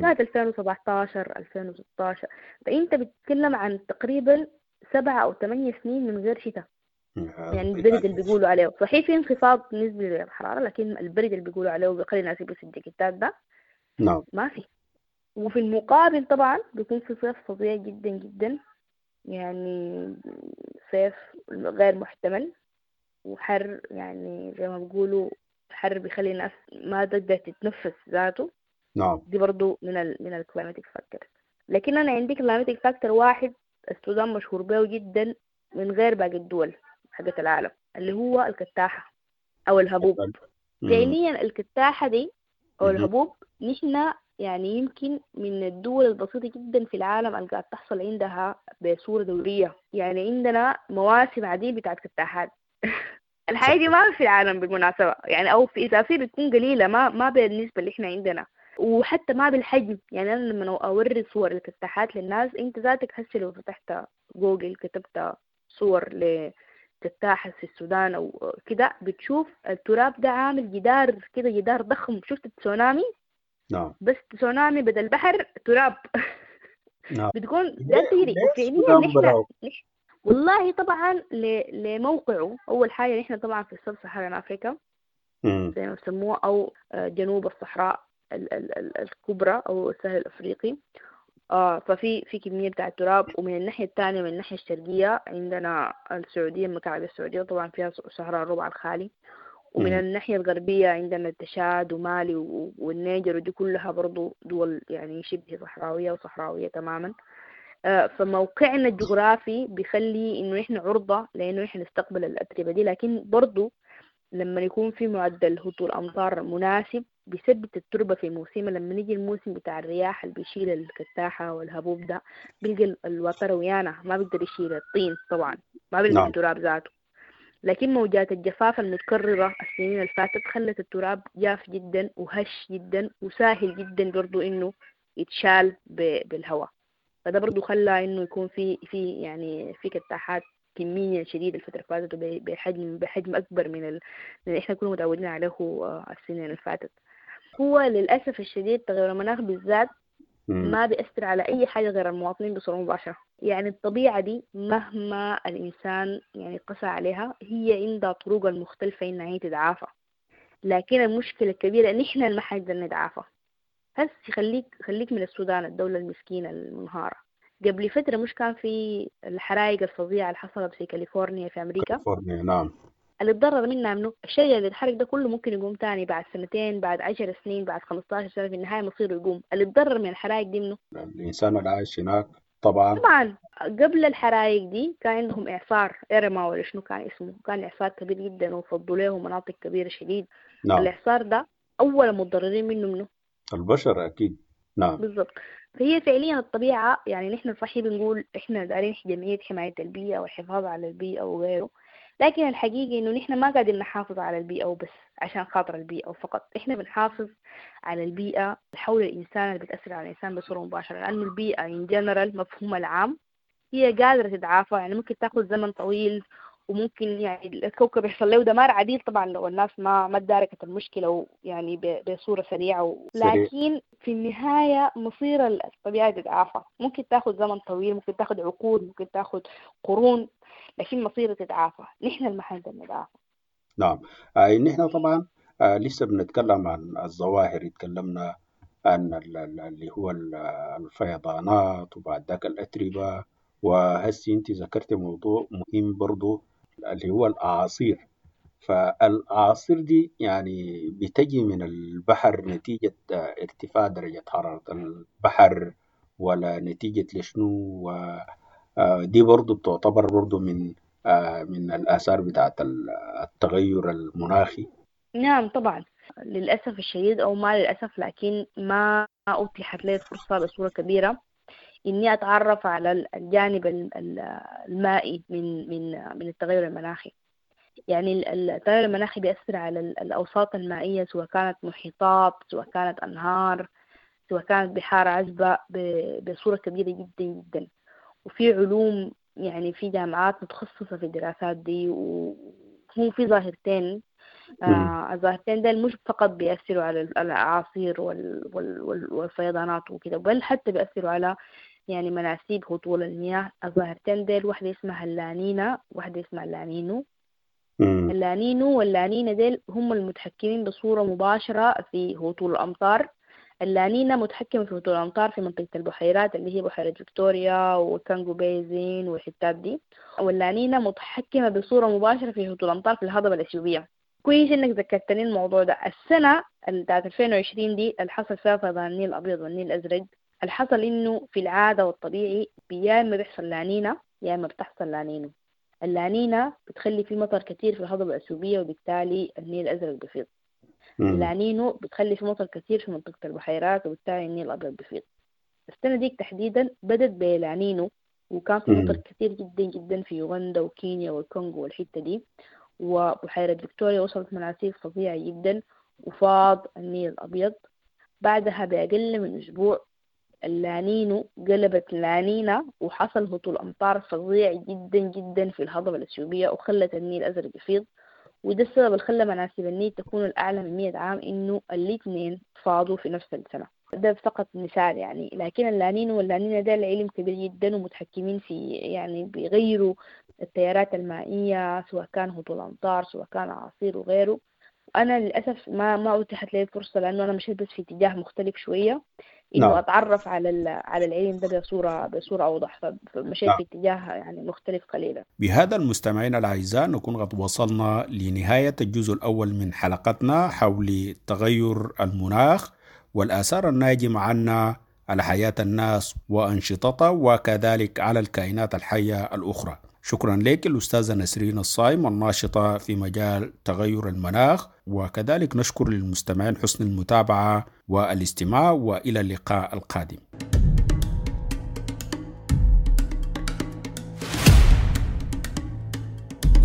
كانت 2017 2016. فأنت بتتكلم عن تقريبا 7 أو 8 سنين من غير شتاء. يعني البرد اللي بيقولوا عليه صحيح في انخفاض نسبي للحرارة، لكن البرد اللي بيقولوا عليه وبيخلي الناس يلبسوا الجاكيتات ده ما في. وفي المقابل طبعا بيكون في صيف فظيع جدا جدا، يعني صيف غير محتمل وحر، يعني زي ما بيقولوا حر بيخلي الناس ما تقدر تتنفس ذاته. نعم. دي برضو من ال climatic factor. لكن أنا عندي climatic factor واحد السودان مشهور به جدا من غير باقي الدول حقت العالم، اللي هو الكتاحة أو الهبوب. فعليا الكتاحة دي أو الهبوب نحن يعني يمكن من الدول البسيطة جدا في العالم اللي قاعد تحصل عندها بصورة دورية. يعني عندنا مواسم عديدة بتاعت كتاحات. الحاجة دي ما في العالم بالمناسبة، يعني أو في إذا في بتكون قليلة، ما بالنسبة اللي إحنا عندنا، وحتى ما بالحجم. يعني أنا لما أوري صور الكتاحات للناس، أنت ذاتك هسه لو فتحت جوجل كتبت صور لكتاحة في السودان أو كده، بتشوف التراب ده عامل جدار كده، جدار ضخم. شفت التسونامي؟ نعم. بس تسونامي بدل بحر تراب. نعم. بتكون ده تجري. وفعليا نحن والله طبعا لموقعه، أول حاجة نحن طبعا في ال sub-Saharan Africa زي ما بسموه، أو جنوب الصحراء الكبرى أو السهل الأفريقي. ففي في كمية بتاع التراب. ومن الناحية الثانية من الناحية الشرقية عندنا السعودية، المملكة العربية السعودية طبعا فيها صحراء الربع الخالي. ومن الناحية الغربية عندنا التشاد ومالي والنيجر، ودي كلها برضو دول يعني شبه صحراوية وصحراوية تماما. فموقعنا الجغرافي بيخلي إنه إحنا عرضة لأنه إحنا نستقبل الأتربة دي. لكن برضو لما يكون في معدل هطول أمطار مناسب بيثبت التربة في موسمها. لما نيجي الموسم بتاع الرياح اللي بيشيل الكتاحة والهبوب ده، بيلقى الوتر ويانا ما بيقدر يشيل الطين طبعا، ما بيلقى التراب ذاته. لكن موجات الجفاف المتكررة السنين اللي فاتت خلت التراب جاف جدا وهش جدا وسهل جدا برضو إنه يتشال بالهواء. فده برضو خلى إنه يكون في يعني في كتاحات كمية شديدة الفترة اللي فاتت، بحجم أكبر من اللي إحنا كنا متعودين عليه السنين اللي فاتت. هو للأسف الشديد تغير المناخ بالذات ما بيأثر على أي حاجة غير المواطنين بصورة مباشرة. يعني الطبيعة دي مهما الإنسان يعني قسى عليها هي عندها طرق المختلفة إنها هي تتعافى، لكن المشكلة الكبيرة إن إحنا ما حنقدر نتعافى. هسه خليك من السودان، الدولة المسكينة المنهارة، قبل فترة مش كان في الحرائق الفظيعة اللي حصلت في كاليفورنيا في أمريكا؟ كاليفورنيا نعم. اللي اتضرر منها منه الشيء اللي اتحرق ده كله ممكن يقوم تاني بعد سنتين، بعد 10 سنين، بعد 15 سنة، في النهاية مصيره يقوم. اللي اتضرر من الحرائق دي منه الإنسان اللي عايش هناك. طبعا طبعا قبل الحرائق دي كان عندهم إعصار إيرما ولا شنو كان اسمه، كان إعصار كبير جدا وفضوا له مناطق كبيرة شديد. نعم. الإعصار ده أول متضررين منه البشر أكيد. نعم بالضبط. فهي فعليا الطبيعة، يعني نحن صحيح بنقول إحنا دارين جمعية حماية البيئة والحفاظ على البيئة وغيره، لكن الحقيقة إنه نحن ما قاعدين نحافظ على البيئة وبس عشان خاطر البيئة وفقط، إحنا بنحافظ على البيئة حول الإنسان اللي بتأثر على الإنسان بصورة مباشرة، لأنه البيئة in general مفهومها العام هي قادرة تتعافى، يعني ممكن تاخذ زمن طويل وممكن يعني الكوكب يحصل له دمار عديد طبعا لو الناس ما تداركت المشكلة يعني بصورة سريعة لكن في النهاية مصير الطبيعة تتعافى. ممكن تاخذ زمن طويل، ممكن تاخذ عقود، ممكن تاخذ قرون، لكن مصيرها تتعافى. نحن المحل نتعافى. نعم. نحن طبعا لسه بنتكلم عن الظواهر، تكلمنا عن اللي هو الفيضانات وبعد ذاك الأتربة، وهسي انت ذكرت موضوع مهم برضو اللي هو الأعاصير. فالأعاصير دي يعني بتجي من البحر نتيجة ارتفاع درجة حرارة البحر ولا نتيجة لشنو؟ دي برضو بتعتبر برضو من الآثار بتاعت التغير المناخي. نعم طبعا، للأسف الشديد أو ما للأسف، لكن ما أتيحت لي الفرصة بصورة كبيرة إني أتعرف على الجانب المائي من من من التغير المناخي. يعني التغير المناخي بيأثر على الأوساط المائية، سواء كانت محيطات، سواء كانت أنهار، سواء كانت بحار عذبة، بصورة كبيرة جدا جدا. وفي علوم يعني في جامعات متخصصة في الدراسات دي، وهم في ظاهرتين. الظاهرتين دول مش فقط بيأثروا على الأعاصير والفيضانات وكده، بل حتى بيأثروا على يعني مناسيب هطول المياه. الظاهرتين ديل واحدة اسمها اللانينا، واحدة اسمها اللانينو. اللانينو واللانينا ديل هم المتحكمين بصورة مباشرة في هطول الأمطار. اللانينا متحكمة في هطول الأمطار في منطقة البحيرات اللي هي بحيرة فيكتوريا والكانجو basin والحتات دي، واللانينا متحكمة بصورة مباشرة في هطول الأمطار في الهضبة الأثيوبية. كويس انك ذكرتني الموضوع ده. السنة بتاعت 2020 دي اللي حصل فيها فيضان النيل الأبيض والنيل الأزرق، اللي حصل انه في العادة والطبيعي يا اما بيحصل لانينا يا اما بتحصل لانينو. اللانينا بتخلي في مطر كتير في الهضبة الأثيوبية وبالتالي النيل الأزرق بيفيض. اللانينو بتخلي في مطر كتير في منطقة البحيرات وبالتالي النيل الأبيض بيفيض. السنة ديك تحديدا بدت بلانينو، وكان في مطر كتير جدا جدا في يوغندا وكينيا والكونغو والحتة دي، وبحيرة فيكتوريا وصلت مناسيب فظيعة جدا وفاض النيل الأبيض. بعدها بأقل من أسبوع اللانينو قلبت لانينا، وحصل هطول أمطار فظيع جدا جدا في الهضبة الأثيوبية وخلت النيل الأزرق يفيض. وده السبب اللي خلى مناسيب النيل تكون الأعلى من 100 عام، إنه الاثنين فاضوا في نفس السنة. ده فقط مثال يعني، لكن اللانينو واللانينا ده العلم كبير جدا ومتحكمين في يعني بيغيروا التيارات المائية، سواء كان هطول أمطار سواء كان أعاصير وغيره. أنا للأسف ما أتيحت لي الفرصة، لأنه أنا مشيت بس في اتجاه مختلف شوية، إنه نعم. أتعرف على العلم ده بصورة أوضح، فمشيت نعم. في اتجاه يعني مختلف قليلا. بهذا المستمعين الأعزاء نكون قد وصلنا لنهاية الجزء الأول من حلقتنا حول تغير المناخ والآثار الناجمة عنا على حياة الناس وأنشطتها، وكذلك على الكائنات الحية الأخرى. شكرا لك الأستاذة نسرين الصايم الناشطة في مجال تغير المناخ، وكذلك نشكر للمستمعين حسن المتابعة والاستماع، وإلى اللقاء القادم.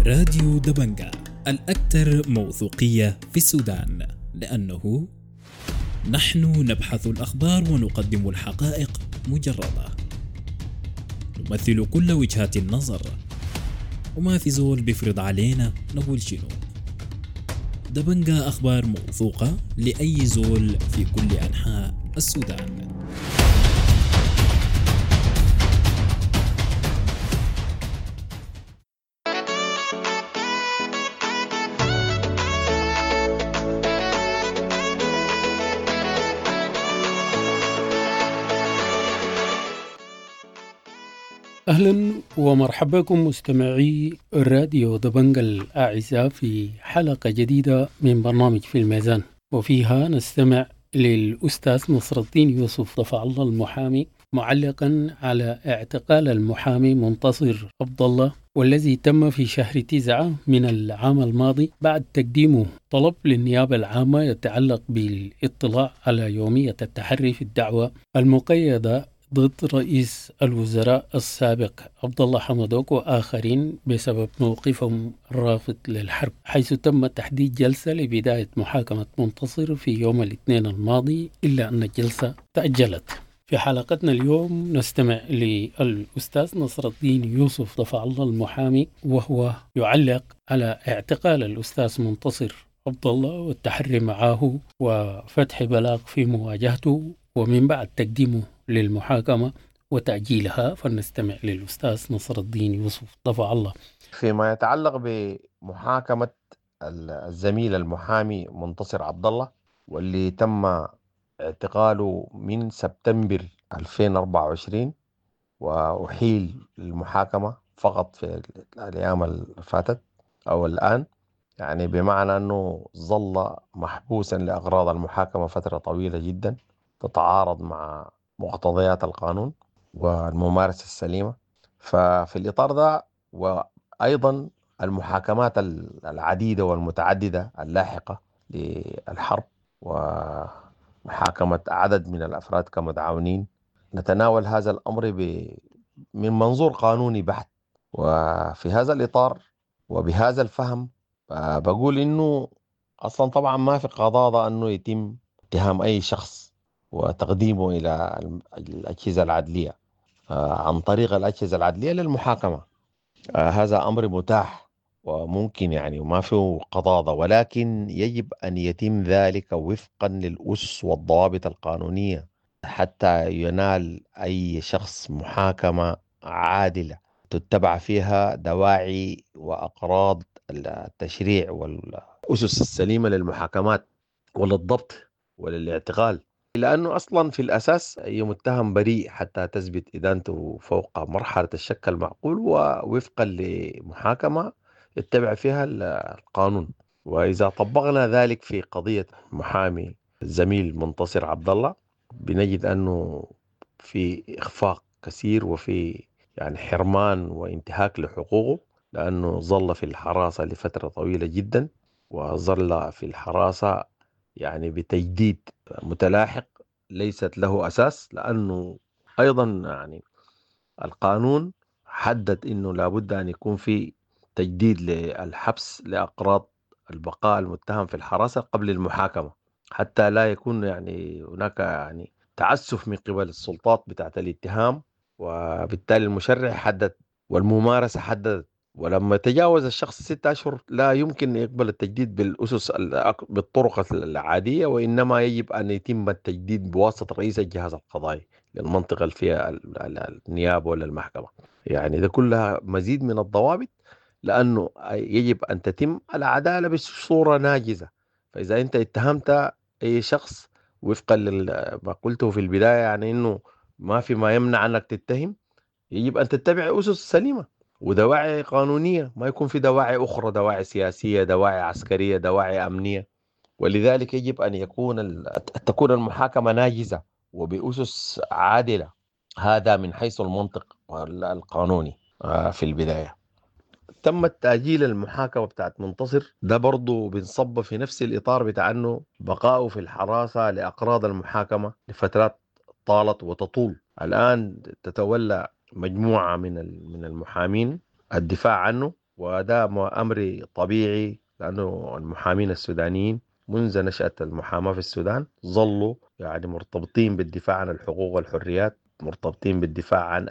راديو دبنجا الأكثر موثوقية في السودان، لأنه نحن نبحث الأخبار ونقدم الحقائق مجردة، نمثل كل وجهات النظر، وما في زول بيفرض علينا نقول شنو. دبنجا أخبار موثوقة لأي زول في كل أنحاء السودان. أهلا ومرحبا بكم مستمعي راديو دبنجا الأعزاء في حلقة جديدة من برنامج في الميزان، وفيها نستمع للأستاذ نصر الدين يوسف دفع الله المحامي معلقا على اعتقال المحامي منتصر عبد الله والذي تم في شهر 9 من العام الماضي بعد تقديمه طلب للنيابة العامة يتعلق بالاطلاع على يومية التحري في الدعوة المقيدة ضد رئيس الوزراء السابق عبد الله حمدوك وآخرين بسبب موقفهم الرافض للحرب، حيث تم تحديد جلسة لبداية محاكمة منتصر في يوم الاثنين الماضي، إلا أن الجلسة تأجلت. في حلقتنا اليوم نستمع للأستاذ نصر الدين يوسف دفع الله المحامي وهو يعلق على اعتقال الأستاذ منتصر عبد الله والتحري معه وفتح بلاغ في مواجهته ومن بعد تقديمه للمحاكمة وتأجيلها. فلنستمع للأستاذ نصر الدين يوسف دفع الله. فيما يتعلق بمحاكمة الزميل المحامي منتصر عبد الله واللي تم اعتقاله من سبتمبر 2024 وأحيل المحاكمة فقط في الأيام اللي فاتت أو الآن، يعني بمعنى أنه ظل محبوسا لأغراض المحاكمة فترة طويلة جدا تتعارض مع مقتضيات القانون والممارسة السليمة. ففي الإطار ده وأيضا المحاكمات العديدة والمتعددة اللاحقة للحرب ومحاكمة عدد من الأفراد كمتعاونين، نتناول هذا الأمر من منظور قانوني بحت. وفي هذا الإطار وبهذا الفهم بقول إنه أصلا طبعا ما في قضاضة أنه يتم اتهام أي شخص وتقديمه إلى الأجهزة العدلية عن طريق الأجهزة العدلية للمحاكمة. هذا أمر متاح وممكن يعني وما فيه قضاضة، ولكن يجب أن يتم ذلك وفقا للأسس والضوابط القانونية حتى ينال أي شخص محاكمة عادلة تتبع فيها دواعي وأقراض التشريع والأسس السليمة للمحاكمات وللضبط وللاعتقال، لأنه أصلا في الأساس أي متهم بريء حتى تثبت إدانته فوق مرحلة الشك المعقول ووفقا لمحاكمة يتبع فيها القانون. وإذا طبقنا ذلك في قضية محامي الزميل منتصر عبد الله بنجد أنه في إخفاق كثير وفي يعني حرمان وانتهاك لحقوقه، لأنه ظل في الحراسة لفترة طويلة جدا، وظل في الحراسة يعني بتجديد متلاحق ليست له أساس، لأنه أيضا يعني القانون حدد أنه لابد أن يكون في تجديد للحبس لأقراض البقاء المتهم في الحراسة قبل المحاكمة، حتى لا يكون يعني هناك يعني تعسف من قبل السلطات بتاعت الاتهام، وبالتالي المشرع حدد والممارسة حددت. ولما تجاوز الشخص 6 أشهر لا يمكن يقبل التجديد بالأسس بالطرق العادية، وإنما يجب أن يتم التجديد بواسطة رئيس الجهاز القضائي للمنطقة اللي فيها النيابة ولا المحكمة. يعني ده كلها مزيد من الضوابط، لأنه يجب أن تتم العدالة بصورة ناجزة. فإذا أنت اتهمت أي شخص وفقا لما قلته في البداية، يعني أنه ما في ما يمنع أنك تتهم، يجب أن تتبع أسس سليمة ودواعي قانونية، ما يكون في دواعي أخرى، دواعي سياسية، دواعي عسكرية، دواعي أمنية. ولذلك يجب أن تكون المحاكمة ناجزة وبأسس عادلة. هذا من حيث المنطق القانوني في البداية. تم تأجيل المحاكمة بتاعت منتصر ده برضو بنصب في نفس الإطار بتاع أنه بقاؤه في الحراسة لأقراض المحاكمة لفترات طالت وتطول. الآن تتولى مجموعة من المحامين الدفاع عنه، وده أمر طبيعي، لأنه المحامين السودانيين منذ نشأة المحاماة في السودان ظلوا يعني مرتبطين بالدفاع عن الحقوق والحريات، مرتبطين بالدفاع عن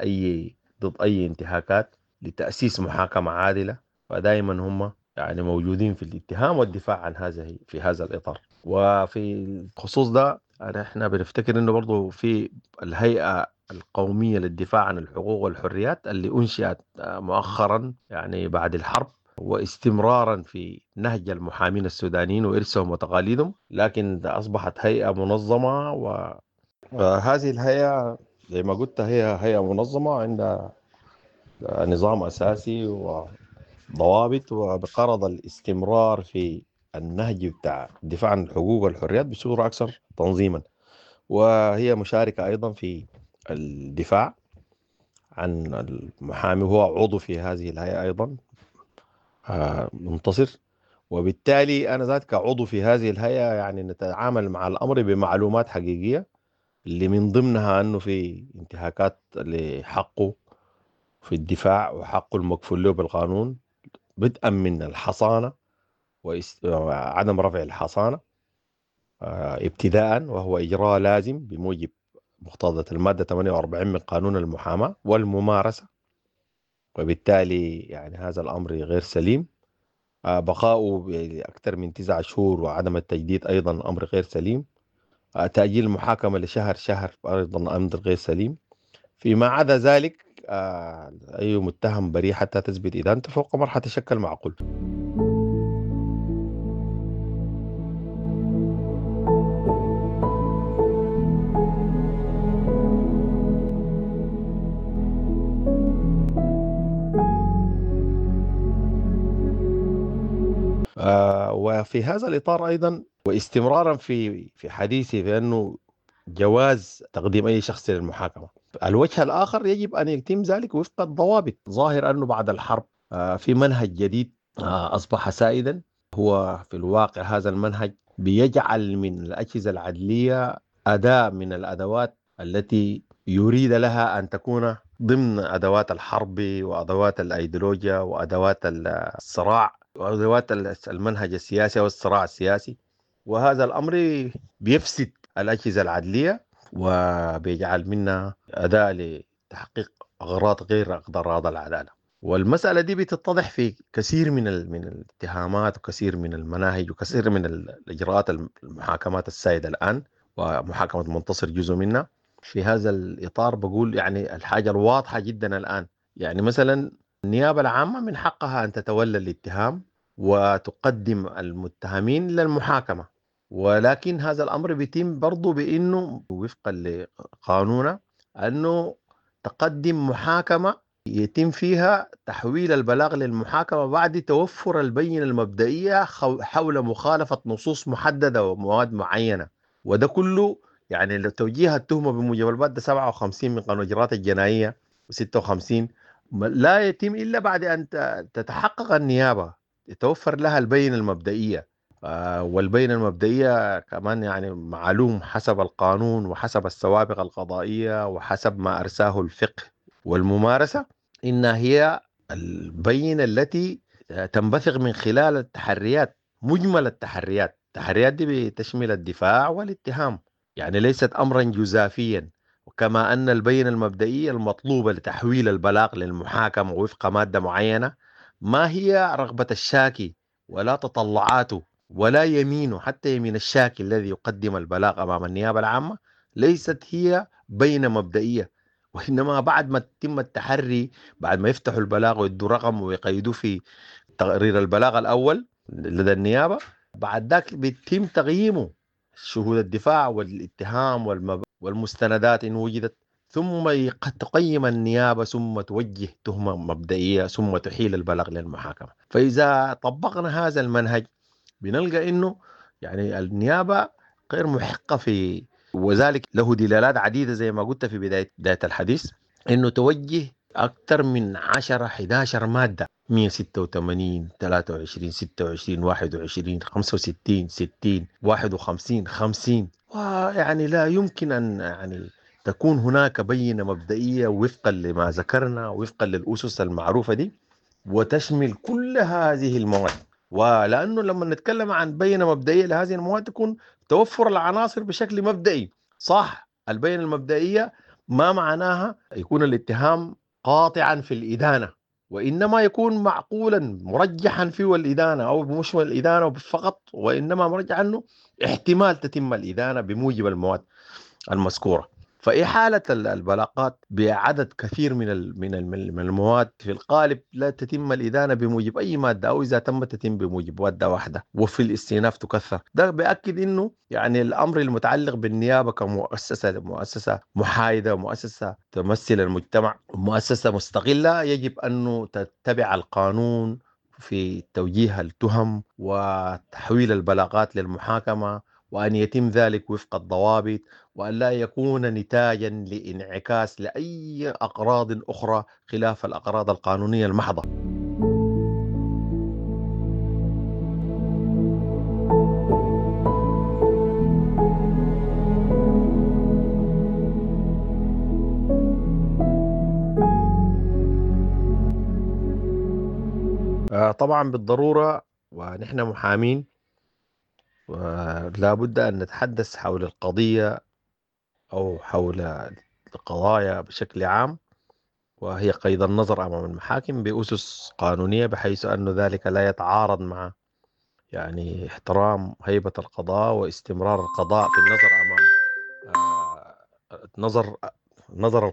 ضد أي انتهاكات لتأسيس محاكمة عادلة. فدائما هم يعني موجودين في الاتهام والدفاع عن هذا في هذا الإطار. وفي الخصوص ده احنا بنفتكر انه برضو في الهيئة القومية للدفاع عن الحقوق والحريات اللي أنشئت مؤخرا يعني بعد الحرب، واستمرارا في نهج المحامين السودانيين وإرثهم وتقاليدهم، لكن أصبحت هيئة منظمة. وهذه الهيئة زي ما قلت هي هيئة منظمة عندها نظام أساسي وضوابط، وبغرض الاستمرار في النهج بتاع الدفاع عن الحقوق والحريات بصورة أكثر تنظيما. وهي مشاركة أيضا في الدفاع عن المحامي، وهو عضو في هذه الهيئة أيضا منتصر. وبالتالي أنا ذات كعضو في هذه الهيئة يعني نتعامل مع الأمر بمعلومات حقيقية، اللي من ضمنها أنه في انتهاكات لحقه في الدفاع وحقه المكفول له بالقانون، بدءا من الحصانة وعدم رفع الحصانة ابتداء، وهو إجراء لازم بموجب مقتضى المادة 48 من قانون المحاماة والممارسة، وبالتالي يعني هذا الأمر غير سليم. بقاؤه أكثر من 9 شهور وعدم التجديد أيضا أمر غير سليم. تأجيل المحاكمة لشهر شهر أيضا أمر غير سليم. فيما عدا ذلك أي متهم بريء حتى تثبت إدانته فوق مرحلة الشك المعقول. وفي هذا الإطار أيضا، واستمرارا في حديثي بأنه جواز تقديم أي شخص للمحاكمة، الوجه الآخر يجب أن يتم ذلك وفق الضوابط. ظاهر أنه بعد الحرب في منهج جديد أصبح سائدا، هو في الواقع هذا المنهج بيجعل من الأجهزة العدلية أداة من الأدوات التي يريد لها أن تكون ضمن أدوات الحرب وأدوات الأيديولوجيا وأدوات الصراع وأدوات المنهج السياسي والصراع السياسي. وهذا الأمر بيفسد الأجهزة العدلية وبيجعل منها أداة لتحقيق أغراض غير أغراض العدالة. والمسألة دي بتتضح في كثير من الاتهامات وكثير من المناهج وكثير من الإجراءات المحاكمات السائدة الآن، ومحاكمة منتصر جزء منها. في هذا الإطار بقول يعني الحاجة الواضحة جدا الآن، يعني مثلا النيابة العامة من حقها أن تتولى الاتهام وتقدم المتهمين للمحاكمة، ولكن هذا الأمر بيتم برضو بأنه وفقا لقانونه أنه تقدم محاكمة يتم فيها تحويل البلاغ للمحاكمة بعد توفر البينة المبدئية حول مخالفة نصوص محددة ومواد معينة. وده كله يعني توجيه التهمة بموجب المادة 57 من قانون الإجراءات الجنائية و56 لا يتم إلا بعد أن تتحقق النيابة، يتوفر لها البينة المبدئية. والبينة المبدئية كمان يعني معلوم حسب القانون وحسب السوابق القضائية وحسب ما أرساه الفقه والممارسة، إن هي البينة التي تنبثق من خلال التحريات، مجمل التحريات. التحريات دي بتشمل الدفاع والاتهام، يعني ليست أمرا جزافيا. وكما أن البينة المبدئية المطلوبة لتحويل البلاغ للمحاكمة وفق مادة معينة ما هي رغبة الشاكي ولا تطلعاته ولا يمينه، حتى يمين الشاكي الذي يقدم البلاغ أمام النيابة العامة ليست هي بينة مبدئية، وإنما بعد ما يتم التحري، بعد ما يفتحوا البلاغ ويدوا رقم ويقيدوه في تقرير البلاغ الأول لدى النيابة، بعد ذاك بيتم تقييمه، شهود الدفاع والاتهام والمستندات إن وجدت، ثم تقيم النيابة، ثم توجه تهمة مبدئية، ثم تحيل البلاغ للمحاكمة. فإذا طبقنا هذا المنهج بنلقى إنه يعني النيابة غير محقة في، وذلك له دلالات عديدة زي ما قلت في بداية الحديث، إنه توجه أكثر من 10 11 مادة، 186 23 26 21 65 60 51 50، ويعني لا يمكن أن يعني تكون هناك بينة مبدئية وفقا لما ذكرنا وفقا للأسس المعروفة دي وتشمل كل هذه المواد. ولأنه لما نتكلم عن بينة مبدئية لهذه المواد تكون توفر العناصر بشكل مبدئي صح. البينة المبدئية ما معناها يكون الاتهام قاطعا في الإدانة، وإنما يكون معقولا مرجحا فيه الإدانة، أو مش الإدانة فقط، وإنما مرجح أنه احتمال تتم الإدانة بموجب المواد المذكورة. فإحالة البلاغات بعدد كثير من المواد في القالب لا تتم الإدانة بموجب أي مادة، أو إذا تم تتم بموجب مادة واحدة، وفي الاستئناف تكثر. ده بيأكد إنه يعني الأمر المتعلق بالنيابة كمؤسسة، مؤسسة محايدة، مؤسسة تمثل المجتمع، مؤسسة مستقلة، يجب أنه تتبع القانون في توجيه التهم وتحويل البلاغات للمحاكمة، وأن يتم ذلك وفق الضوابط، وأن لا يكون نتاجا لانعكاس لأي أغراض أخرى خلاف الأغراض القانونية المحضة. طبعا بالضرورة، ونحن محامين ولا بد أن نتحدث حول القضية أو حول القضايا بشكل عام، وهي قيد النظر أمام المحاكم بأسس قانونية، بحيث أن ذلك لا يتعارض مع يعني احترام هيبة القضاء واستمرار القضاء في النظر أمام نظر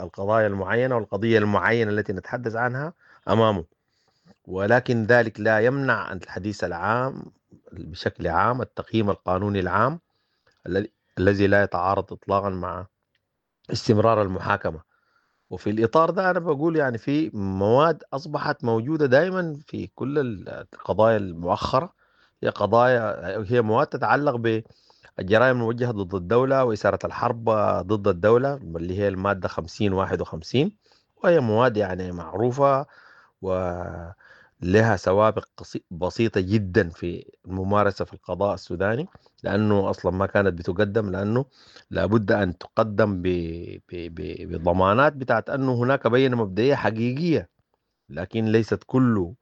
القضايا المعينة والقضية المعينة التي نتحدث عنها أمامه. ولكن ذلك لا يمنع الحديث العام بشكل عام، التقييم القانوني العام الذي لا يتعارض إطلاقا مع استمرار المحاكمة. وفي الإطار ده أنا بقول يعني في مواد أصبحت موجودة دائما في كل القضايا المؤخرة، هي مواد تتعلق بالجرائم الموجهة ضد الدولة وإثارة الحرب ضد الدولة، اللي هي المادة 50 51، وهي مواد يعني معروفة ولها سوابق بسيطة جدا في الممارسة في القضاء السوداني، لأنه أصلا ما كانت بتقدم، لأنه لابد أن تقدم بضمانات بتاعت أنه هناك بينة مبدئية حقيقية، لكن ليست كل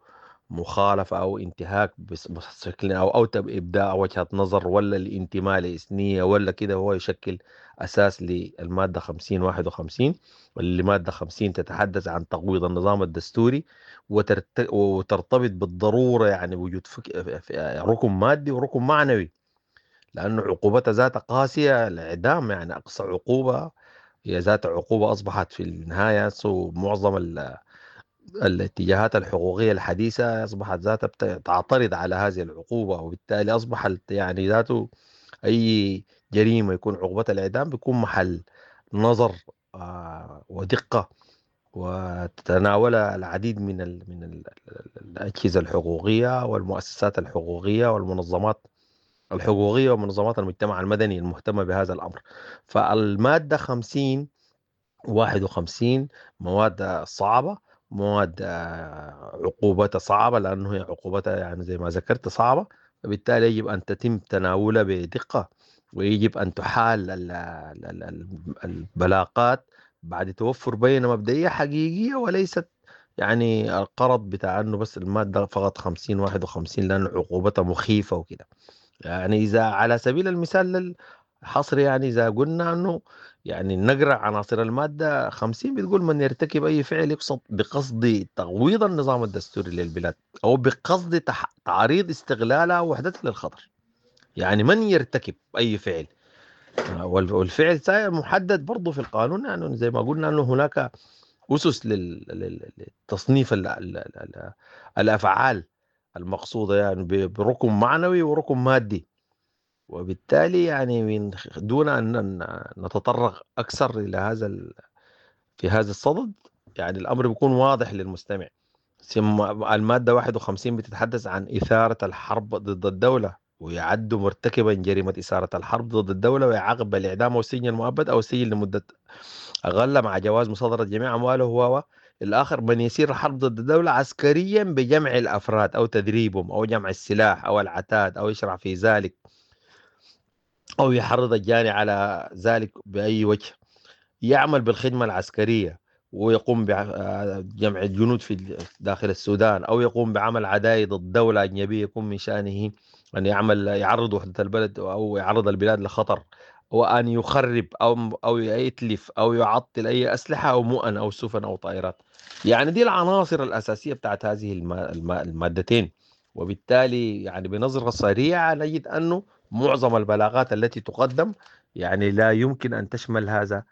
مخالفة أو انتهاك بشكل أو إبداء وجهة نظر ولا الانتماء لإثنية ولا كده هو يشكل أساس للمادة 50 51، واللي مادة 50 تتحدث عن تقويض النظام الدستوري وترتبط بالضرورة يعني وجود ركن مادي وركن معنوي، لأنه عقوبتها ذات قاسية، الإعدام يعني أقصى عقوبة، هي ذات عقوبة أصبحت في النهاية معظم الاتجاهات الحقوقية الحديثة أصبحت ذاتها تعترض على هذه العقوبة، وبالتالي أصبح يعني ذاته أي جريمة يكون عقوبتها الإعدام بيكون محل نظر ودقة، وتتناولها العديد من الأجهزة الحقوقية والمؤسسات الحقوقية والمنظمات الحقوقية ومنظمات المجتمع المدني المهتمة بهذا الأمر. فالمادة 50 51 مواد صعبة، مواد عقوبتها صعبة، لأنه هي عقوبتها يعني زي ما ذكرت صعبة، فبالتالي يجب أن تتم تناولها بدقة، ويجب أن تحال البلاغات بعد توفر بينة مبدئية حقيقية، وليست يعني القرض بتاع أنه بس المادة فقط 50 51 لأن عقوبتها مخيفة وكده. يعني إذا على سبيل المثال للحصر، يعني إذا قلنا أنه يعني نقرأ عناصر المادة 50 بتقول من يرتكب أي فعل يقصد بقصد تغويض النظام الدستوري للبلاد أو بقصد تعريض استغلالها وحدتها للخطر. يعني من يرتكب أي فعل، والفعل محدد برضه في القانون، يعني زي ما قلنا أنه هناك أسس للتصنيف الأفعال المقصودة، يعني بركن معنوي وركن مادي. وبالتالي يعني من دون أن نتطرق أكثر إلى هذا في هذا الصدد، يعني الأمر بيكون واضح للمستمع. ثم المادة 51 بتتحدث عن إثارة الحرب ضد الدولة، ويعد مرتكبا جريمة إثارة الحرب ضد الدولة ويعاقب بالإعدام أو السجن المؤبد أو السجن لمدة أقل مع جواز مصادرة جميع أمواله. هو الآخر من يسير الحرب ضد الدولة عسكريا بجمع الأفراد أو تدريبهم أو جمع السلاح أو العتاد أو يشرع في ذلك أو يحرض الجاني على ذلك بأي وجه، يعمل بالخدمة العسكرية ويقوم بجمع الجنود في داخل السودان، أو يقوم بعمل عدائي ضد دولة أجنبية يكون من شأنه أن يعمل يعرض وحدة البلد أو يعرض البلاد لخطر، وأن يخرب أو يتلف أو يعطل أي أسلحة أو مؤن أو سفن أو طائرات. يعني دي العناصر الأساسية بتاعت هذه المادتين. وبالتالي يعني بنظرة سريعة نجد أنه معظم البلاغات التي تقدم يعني لا يمكن أن تشمل هذا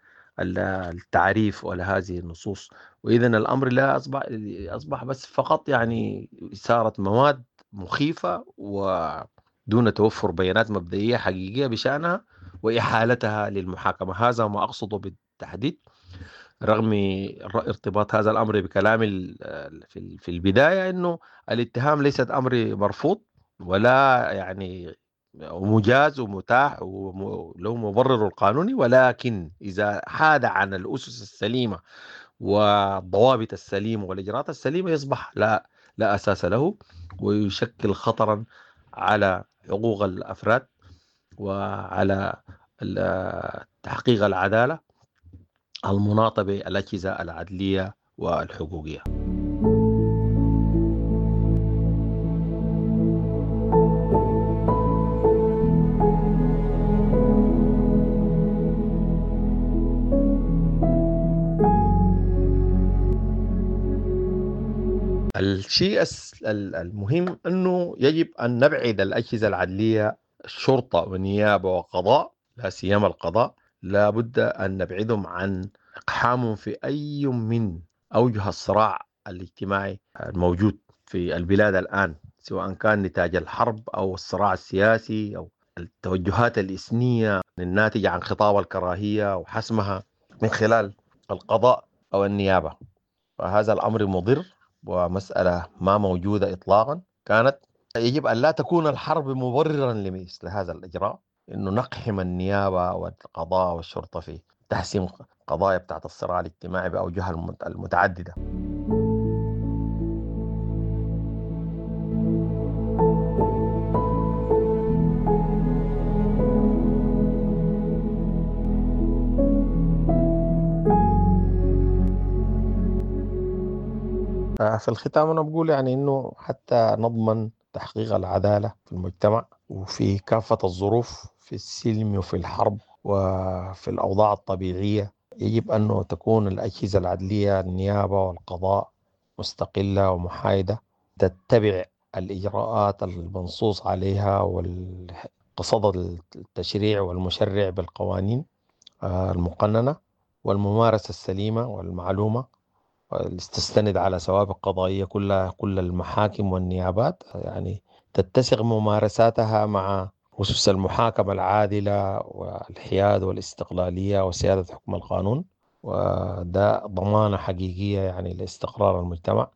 التعريف ولا هذه النصوص. وإذن الأمر لا أصبح بس فقط يعني إثارة مواد مخيفة ودون توفر بيانات مبدئية حقيقية بشأنها وإحالتها للمحاكمة. هذا ما أقصده بالتحديد، رغم ارتباط هذا الأمر بكلامي في البداية أنه الاتهام ليست أمر مرفوض ولا يعني ومجاز ومتاح وله مبرر القانوني، ولكن إذا حاد عن الأسس السليمة والضوابط السليمة والإجراءات السليمة يصبح لا أساس له، ويشكل خطرا على حقوق الأفراد وعلى تحقيق العدالة المناطة بالأجهزة العدلية والحقوقية. الشيء المهم أنه يجب أن نبعد الأجهزة العدلية، الشرطة والنيابة وقضاء، لا سيما القضاء، لابد أن نبعدهم عن إقحامهم في أي من أوجه الصراع الاجتماعي الموجود في البلاد الآن، سواء كان نتاج الحرب أو الصراع السياسي أو التوجهات الإثنية الناتجة عن خطاب الكراهية وحسمها من خلال القضاء أو النيابة. فهذا الأمر مضر ومسألة ما موجودة إطلاقا. كانت يجب أن لا تكون الحرب مبررا لمثل هذا الإجراء، إنه نقحم النيابة والقضاء والشرطة في تحسين قضايا بتاعت الصراع الاجتماعي بأوجهها المتعددة. في الختام أنا بقول يعني إنه حتى نضمن تحقيق العدالة في المجتمع وفي كافة الظروف، في السلم وفي الحرب وفي الأوضاع الطبيعية، يجب أنه تكون الأجهزة العدلية، النيابة والقضاء، مستقلة ومحايدة، تتبع الإجراءات المنصوص عليها وقصد التشريع والمشرع بالقوانين المقننة والممارسة السليمة والمعلومة، تستند على سوابق قضائية كل المحاكم والنيابات، يعني تتسق ممارساتها مع أسس المحاكمة العادلة والحياد والاستقلالية وسيادة حكم القانون. وده ضمانة حقيقية يعني لاستقرار المجتمع،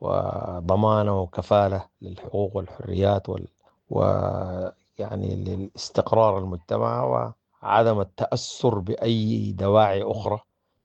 وضمانة وكفالة للحقوق والحريات ويعني للاستقرار المجتمع وعدم التأثر بأي دواعي أخرى،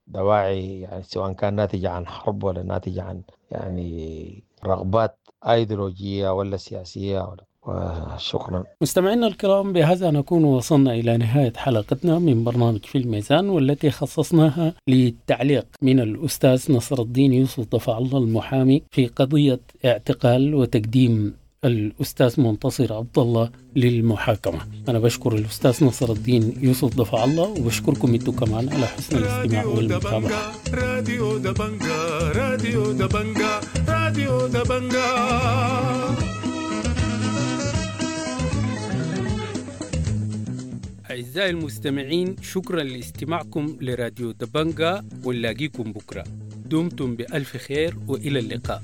دواعي يعني سواء كان ناتجة عن حرب ولا ناتجة عن يعني رغبات أيديولوجية ولا سياسية ولا. وشكرا. مستمعينا الكرام، بهذا نكون وصلنا إلى نهاية حلقتنا من برنامج في الميزان، والتي خصصناها للتعليق من الأستاذ نصر الدين يوسف دفع الله المحامي في قضية اعتقال وتقديم الأستاذ منتصر عبد الله للمحاكمة. أنا بشكر الأستاذ نصر الدين يوسف دفع الله، وبشكركم انتم كمان على حسن الاستماع والمتابعة. راديو دبنجا، راديو دبنجا، راديو دبنجا. أعزائي المستمعين، شكرا لاستماعكم لراديو دبنجا، ونلاقيكم بكرة. دمتم بألف خير وإلى اللقاء.